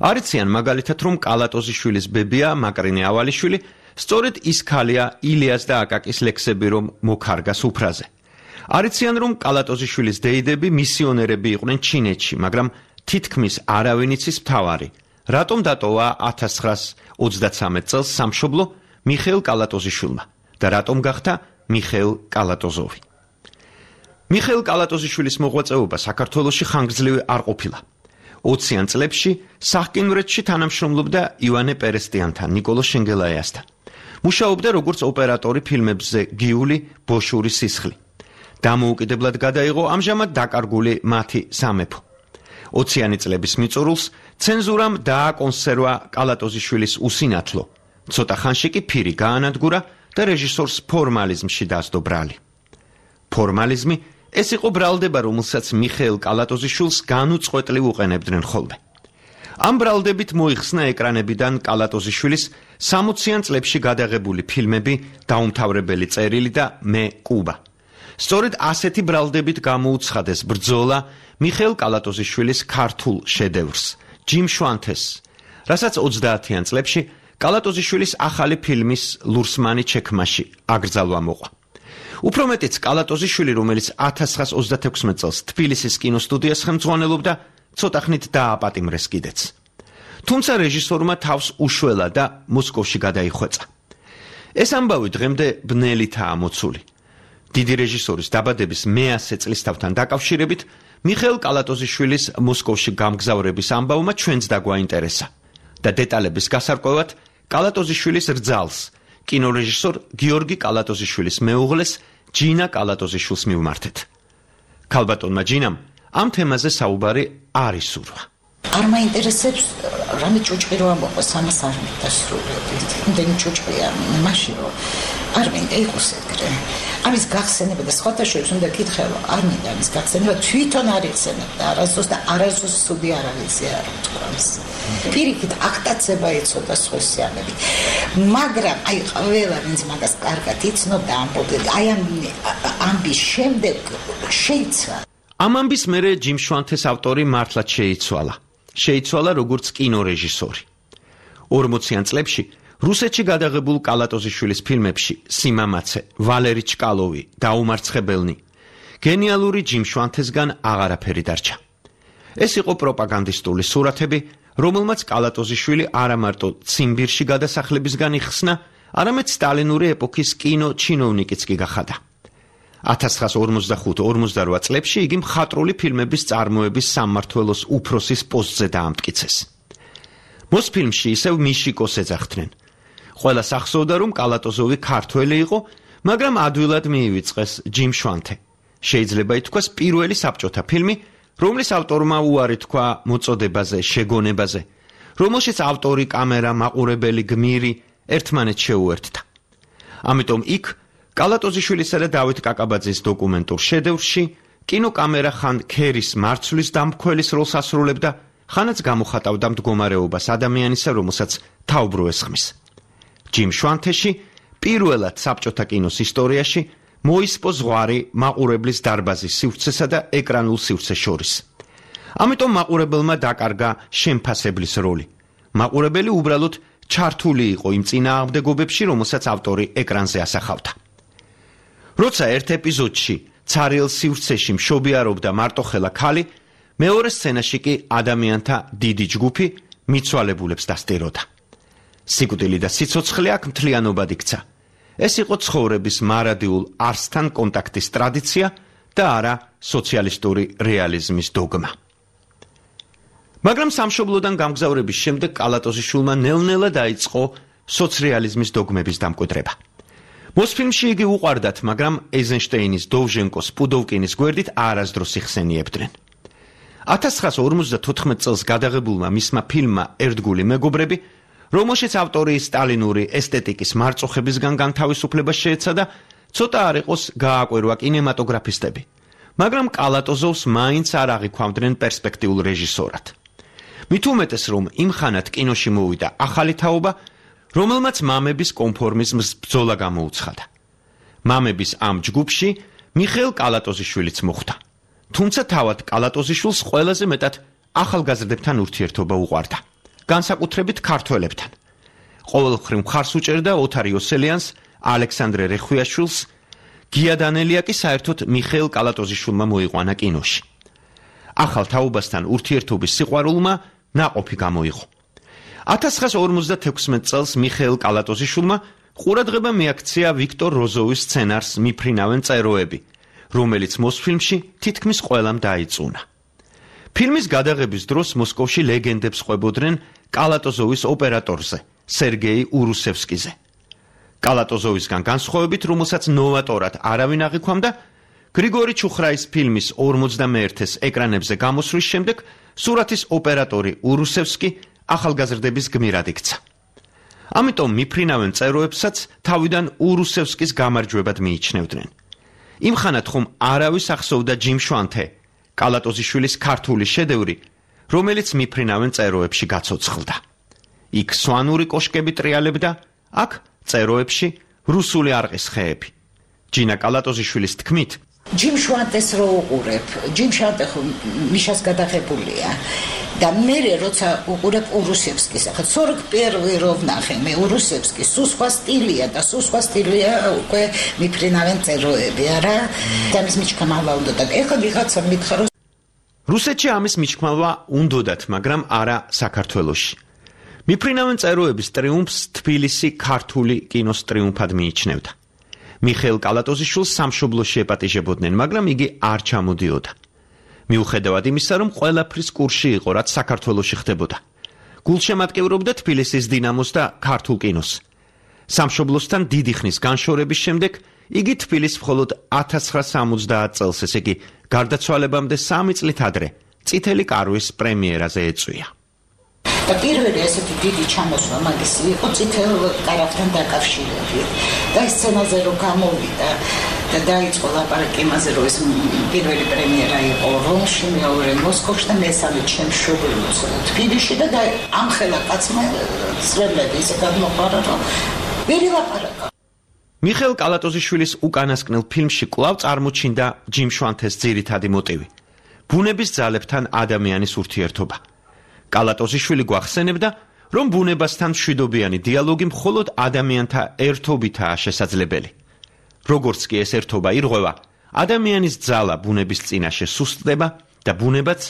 არ იციან მაგალითად, რომ კალატოზიშვილის ბებია მაკრინე ავალიშვილი სწორედ ის ქალია ილიას და აკაკის ლექსები რომ მოქარგა სუფრაზე. არ იციან, რომ კალატოზიშვილის დეიდები მისიონერები იყვნენ ჩინეთში, მაგრამ თითქმის არავინ იცის მთავარი, რატომ დატოვა ათას ცხრაას ოცდათსამეტ წელს სამშობლო მიხეილ კალატოზიშვილმა და რატომ გახდა მიხეილ კალატოზოვი. მიხეილ კალატოზიშვილის მოღვაწეობა საქართველოში ხანგრძლივი არ ყოფილა. ოციან წლებში სახკინვრეთში თანამშრომლობდა ივანე პერესტიანთან, ნიკოლო შენგელაიასთან. მუშაობდა როგორც ოპერატორი ფილმებზე გიული, ბოშური სისხლი. დამოუკიდებლად გადაიღო ამჟამად დაკარგული მათი სამეფო. ოციანი წლების მიწურულს ცენზურამ დააკონსერვა კალატოზიშვილის უსინათლო. ცოტა ხანში კი ფირი გაანადგურა და რეჟისორს ფორმალიზმში დასდო ბრალი. ფორმალიზმი ეს იყო ბრალდება, რომელსაც მიხეილ კალატოზიშვილს განუწყვეტლივ უყენებდნენ ხოლმე. ამ ბრალდებით მოიხსნა ეკრანებიდან კალატოზიშვილის სამოციან წლებში გადაღებული ფილმები „დაუმთავრებელი წერილი“ და „მე კუბა“. სწორედ ასეთი ბრალდებით გამოუცხადეს ბრძოლა მიხეილ კალატოზიშვილის ქართულ შედევრს, ჯიმ შვანთეს, რასაც ოცდაათიან წლებში კალატოზიშვილის ახალი ფილმის ლურსმანი ჩექმაში აკრძალვა მოყვა. უფრო მეტიც კალატოზიშვილი, რომელიც ათას ცხრაას ოცდათექვსმეტ წელს თბილისის კინოსტუდიას ხელმძღვანელობდა, ცოტა ხნით დააპატიმრეს კიდეც. თუმცა რეჟისორმა თავს უშველა და მოსკოვში გადაიხვეწა. ეს ამბავი დღემდე ბნელითაა მოცული. დიდი რეჟისორის დაბადების მეასე წლისთავთან დაკავშირებით მიხეილ კალატოზიშვილის მოსკოვში გამგზავრების ამბავმა ჩვენც დაგვაინტერესა და დეტალების გასარკვევად კალატოზიშვილის რძალს, კინორეჟისორ გიორგი კალატოზიშვილის მეუღლეს ჯინა კალატოზიშვილს მივმართეთ. ქალბატონმა ჯინამ ამ თემაზე საუბარი არ ისურვა. არ მაინტერესებს რამე ჭუჭყი რო ამბობს, ამას არ მინდა სრულიად. იმდენი ჭუჭყია მაშინ რომ არ მინდა იყოს ეგრე. ამის გახსენება და სხვათა შორის უნდა კითხე, რომ არ მინდა ამის გახსენება, თვითონ არ იხსენებდა არასდროს და არასდროს სუდი არ აღიზია არ თქვას. პირიქით აქტაცება იცოდა სხვისიანებით. მაგრამ აი ყველა ვინც მაგას კარგად იცნობდა ამბობდა, აი ამ ამბის შემდეგ შეიცვა. ამ ამბის მერე ჯიმ შვანთეს ავტორი მართლაც შეიცვალა. შეიცვალა როგორც კინორეჟისორი. ორმოციან წლებში რუსეთში გადაღებულ კალატოზიშვილის ფილმებში სიმამაცე, ვალერი ჩკალოვი, დაუმარცხებელნი, გენიალური ჯიმ შვანთესგან აღარაფერი დარჩა. ეს იყო პროპაგანდისტული სურათები, რომელმაც კალატოზიშვილი არა მარტო ციმბირში გადასახლებისგან იხსნა, არამედ სტალინური ეპოქის კინო ჩინოვნიკიც კი გახადა. ათას ცხრაას ორმოცდახუთ ორმოცდარვა წლებში იგი მხატვრული ფილმების წარმოების სამმართველოს უფროსის პოსტზე დაამტკიცეს. მოსფილმში ისევ მიშიკოს ეძახდნენ. ყველას ახსოვდა, რომ კალატოზოვი ქართველი იყო, მაგრამ ადვილად მიივიწყეს ჯიმ შვანთე. შეიძლება ითქვას პირველი საბჭოთა ფილმი, რომლის ავტორმა უარი თქვა მოწოდებაზე, შეგონებაზე, რომელშიც ავტორი, კამერა, მაყურებელი, გმირი ერთმანეთს შეუერთდა. ამიტომ იქ კალატოზიშვილისა და დავით კაკაბაძის დოკუმენტურ შედევრში კინოკამერა ხან ქერის მარცვლის დამქველის როლს ასრულებდა, ხანაც გამოხატავდა მდგომარეობას ადამიანისა, რომელსაც თაობრო ესხმის. ჯიმ შვანთეში პირველად საბჭოთა კინოს ისტორიაში მოისპო ზღვარი მაყურებლის დარბაზის სივრცესა და ეკრანულ სივრცეს შორის. ამიტომ მაყურებელმა დაკარგა შემფასებლის როლი. მაყურებელი უბრალოდ ჩართული იყო იმ წინააღმდეგობებში, რომელსაც ავტორი ეკრანზე ასახავდა. როცა ერთ ეპიზოდში ცარიელ სივრცეში მშობიარობდა მარტოხელა ქალი, მეორე სცენაში კი ადამიანთა დიდი ჯგუფი მიცვალებულებს დასტიროდა. სიკვდილი და სიცოცხლე აქ მთლიანობად იქცა. ეს იყო ცხოვრების მარადიულ არსთან კონტაქტის ტრადიცია და არა სოციალისტური რეალიზმის დოგმა. მაგრამ სამშობლოდან გამგზავრების შემდეგ კალატოზიშვილმა ნელ-ნელა დაიწყო სოცრეალიზმის დოგმების დამკვიდრება. მოსფილმში იგი უყვარდათ, მაგრამ ეიზენშტეინის, დოვჟენკოს, პუდოვკინის გვერდით არასდროს იხსენიებდნენ. ათას ცხრაას ორმოცდათოთხმეტ წელს გადაღებულმა მისმა ფილმმა ერთგული მეგობრები, რომელშიც ავტორი სტალინური ესთეტიკის მარწუხებისგან განთავისუფლებას შეეცადა, ცოტა არ იყოს გააკვირვა კინემატოგრაფისტები, მაგრამ კალატოზოვს მაინც არ აღიქვამდნენ პერსპექტიულ რეჟისორად. მით უმეტეს, რომ იმ ხანად კინოში მოვიდა ახალი თაობა, რომელმაც მამების კონფორმიზმს ბრძოლა გამოუცხადა. მამების ამ ჯგუფში მიხეილ კალატოზიშვილიც მოხვდა. თუმცა თავად კალატოზიშვილს ყველაზე მეტად ახალგაზრდებთან ურთიერთობა უყვარდა, განსაკუთრებით ქართველებთან. ყოველმხრივ მხარს უჭერდა ოთარ იოსელიანს, ალექსანდრე რეხვიაშვილს, გია დანელია კი საერთოდ მიხეილ კალატოზიშვილმა მოიყვანა კინოში. ახალ თაობასთან ურთიერთობის სიყვარულმა ნაყოფი გამოიღო. ათას ცხრაას ორმოცდათექვსმეტ წელს მიხეილ კალატოზიშვილმა ყურადღება მიაქცია ვიქტორ როზოვის სცენარს მიფრინავენ წეროები, რომელიც მოსფილმში თითქმის ყველამ დაიწუნა. ფილმის გადაღების დროს მოსკოვში ლეგენდებს ყვებოდნენ კალატოზოვის ოპერატორზე, სერგეი ურუსევსკიზე. კალატოზოვისგან განსხვავებით, რომელსაც ნოვატორად არავინ აღიქვამდა, გრიგორი ჩუხრაის ფილმის ორმოცდამეერთეს ეკრანებზე გამოსვლის შემდეგ სურათის ოპერატორი ურუსევსკი ახალგაზრდების გმირად იქცა. ამიტომ მიფრინავენ წეროებსაც თავიდან ურუსევსკის გამარჯვებად მიიჩნევდნენ. იმ ხანად ხომ არავის ახსოვდა ჯიმ შვანთე, კალატოზიშვილის ქართული შედევრი, რომელიც მიფრინავენ წეროებში გაცოცხლდა. იქ სვანური კოშკები ტრიალებდა, აქ წეროებში რუსული არყის ხეები. ჯინა კალატოზიშვილის თქმით, ჯიმ შვანტეს რო უყურებ, ჯიმ შვანტე ხო მიშას გადაღებულია და მე როცა უყურებ ურუსევსკის, ახლა сорок первый რო ვნახე მე ურუსევსკის, სულ სხვა სტილია და სულ სხვა სტილია უკვე მიფრინავენ წეროები, არა? და მის მიჩქმალვა უნდა და ეხლა ვიღაცა მითხრა რომ რუსეთში ამის მიჩქმალვა უნდოდათ, მაგრამ არა საქართველოში. მიფრინავენ წეროების ტრიუმფს თბილისი ქართული კინოს ტრიუმფად მიიჩნევდა. მიხეილ კალატოზიშვილს სამშობლოში ეპატიჟებოდნენ, მაგრამ იგი არ ჩამოდიოდა. მიუხედავად იმისა, რომ ყველაფრის კურსში იყო, რაც საქართველოში ხდებოდა. გულშემატკივრობდა თბილისის დინამოს და ქართულ კინოს. სამშობლოსთან დიდი ხნის განშორების შემდეგ იგი თბილისს მხოლოდ ათას ცხრაას სამოცდაათ წელს, ესე იგი გარდაცვალებამდე სამი წლით ადრე, წითელი კარვის პრემიერაზე ეწვია. და პირველი ესეთი დიდი ჩამოსვლა მაგის იყო წითელ კარავთან დაკავშირებით. და ეს სცენაზე რომ გამოვიდა და დაიწყო ლაპარაკი იმაზე, რომ ეს პირველი პრემიერა იყო რომში, მეორე მოსკოვში და მესამე ჩემს მშობლიურ თბილისში და ამხელა კაცმა სრებლები ისე გადმოყარა, რომ ვერი ლაპარაკა. მიხეილ კალატოზიშვილის უკანასკნელ ფილმში კვლავ წარმოჩინდა ჯიმ შვანთეს ძირითადი მოტივი: ბუნების ძალებთან ადამიანის ურთიერთობა. კალატოზიშვილი გვახსენებდა, რომ ბუნებასთან მშვიდობიანი დიალოგი მხოლოდ ადამიანთა ერთობითაა შესაძლებელი. როგორც კი ეს ერთობა ირღვევა, ადამიანის ძალა ბუნების წინაშე სუსტდება და ბუნებაც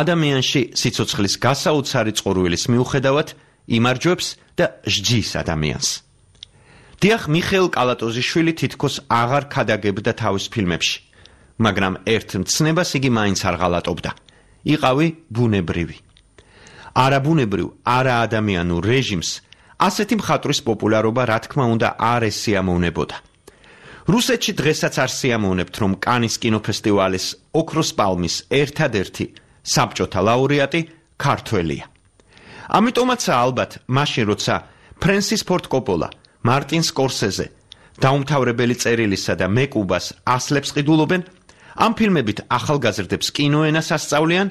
ადამიანში სიცოცხლის გასაოცარი წყურვილის მიუხედავად იმარჯვებს და ჟჯის ადამიანს. დიახ, მიხეილ კალატოზიშვილი თითქოს აღარ ქადაგებდა თავის ფილმებში, მაგრამ ერთ მცნებას იგი მაინც არ ღალატობდა: იყავი ბუნებრივი. არაბუნებრივ, არაადამიანურ რეჟიმს ასეთი მხატვრის პოპულარობა, რა თქმა უნდა, არ ესიამოვნებოდა. რუსეთში დღესაც არ სიამოვნებთ, რომ კანის კინოფესტივალის ოქროს პალმის ერთადერთი საბჭოთა ლაურეატი ქართველია. ამიტომაცაა ალბათ მაშინ, როცა ფრენსის ფორდ კოპოლა, მარტინ სკორსეზე, დაუმთავრებელი წერილისა და მეკუბას ასლებს ყიდულობენ, ამ ფილმებით ახალგაზრდებს კინოენას ასწავლიან,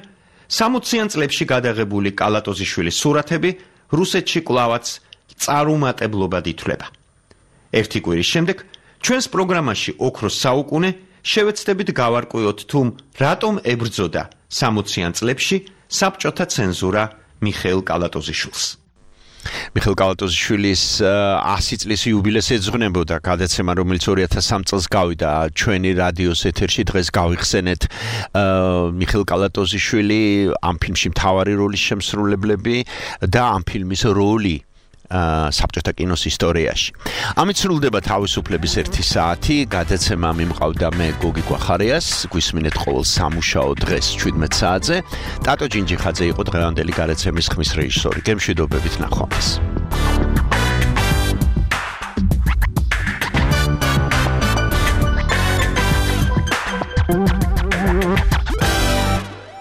სამოციან წლებში გადაღებული კალატოზიშვილის სურათები რუსეთში კვლავაც წარუმატებლობად ითვლება. ერთი კვირის შემდეგ ჩვენს პროგრამაში ოქროს საუკუნე შევეცდებით გავარკვიოთ, თუ რატომ ებრძოდა სამოციან წლებში საბჭოთა ცენზურა მიხეილ კალატოზიშვილს. მიხეილ კალატოზიშვილის ასი წლის იუბილეს ეძღვნებოდა გადაცემა, რომელიც ორი ათას სამი წელს გავიდა ჩვენი რადიოს ეთერში. დღეს გავიხსენეთ მიხეილ კალატოზიშვილი, ამ ფილმში მთავარი როლის შემსრულებლები და ამ ფილმის როლი საბჭოთა კინოს ისტორიაში. ამით სრულდება თავისუფლების ერთი საათი. გადაცემა მიმყავდა მე გოგი გვახარიას. გვისმინეთ ყოველ სამუშაო დღეს შვიდმეტ საათზე. ტატო ჯინჯიხაძე იყო დღევანდელი გადაცემის ხმის რეჟისორი. გემშვიდობებით, ნახვამდის.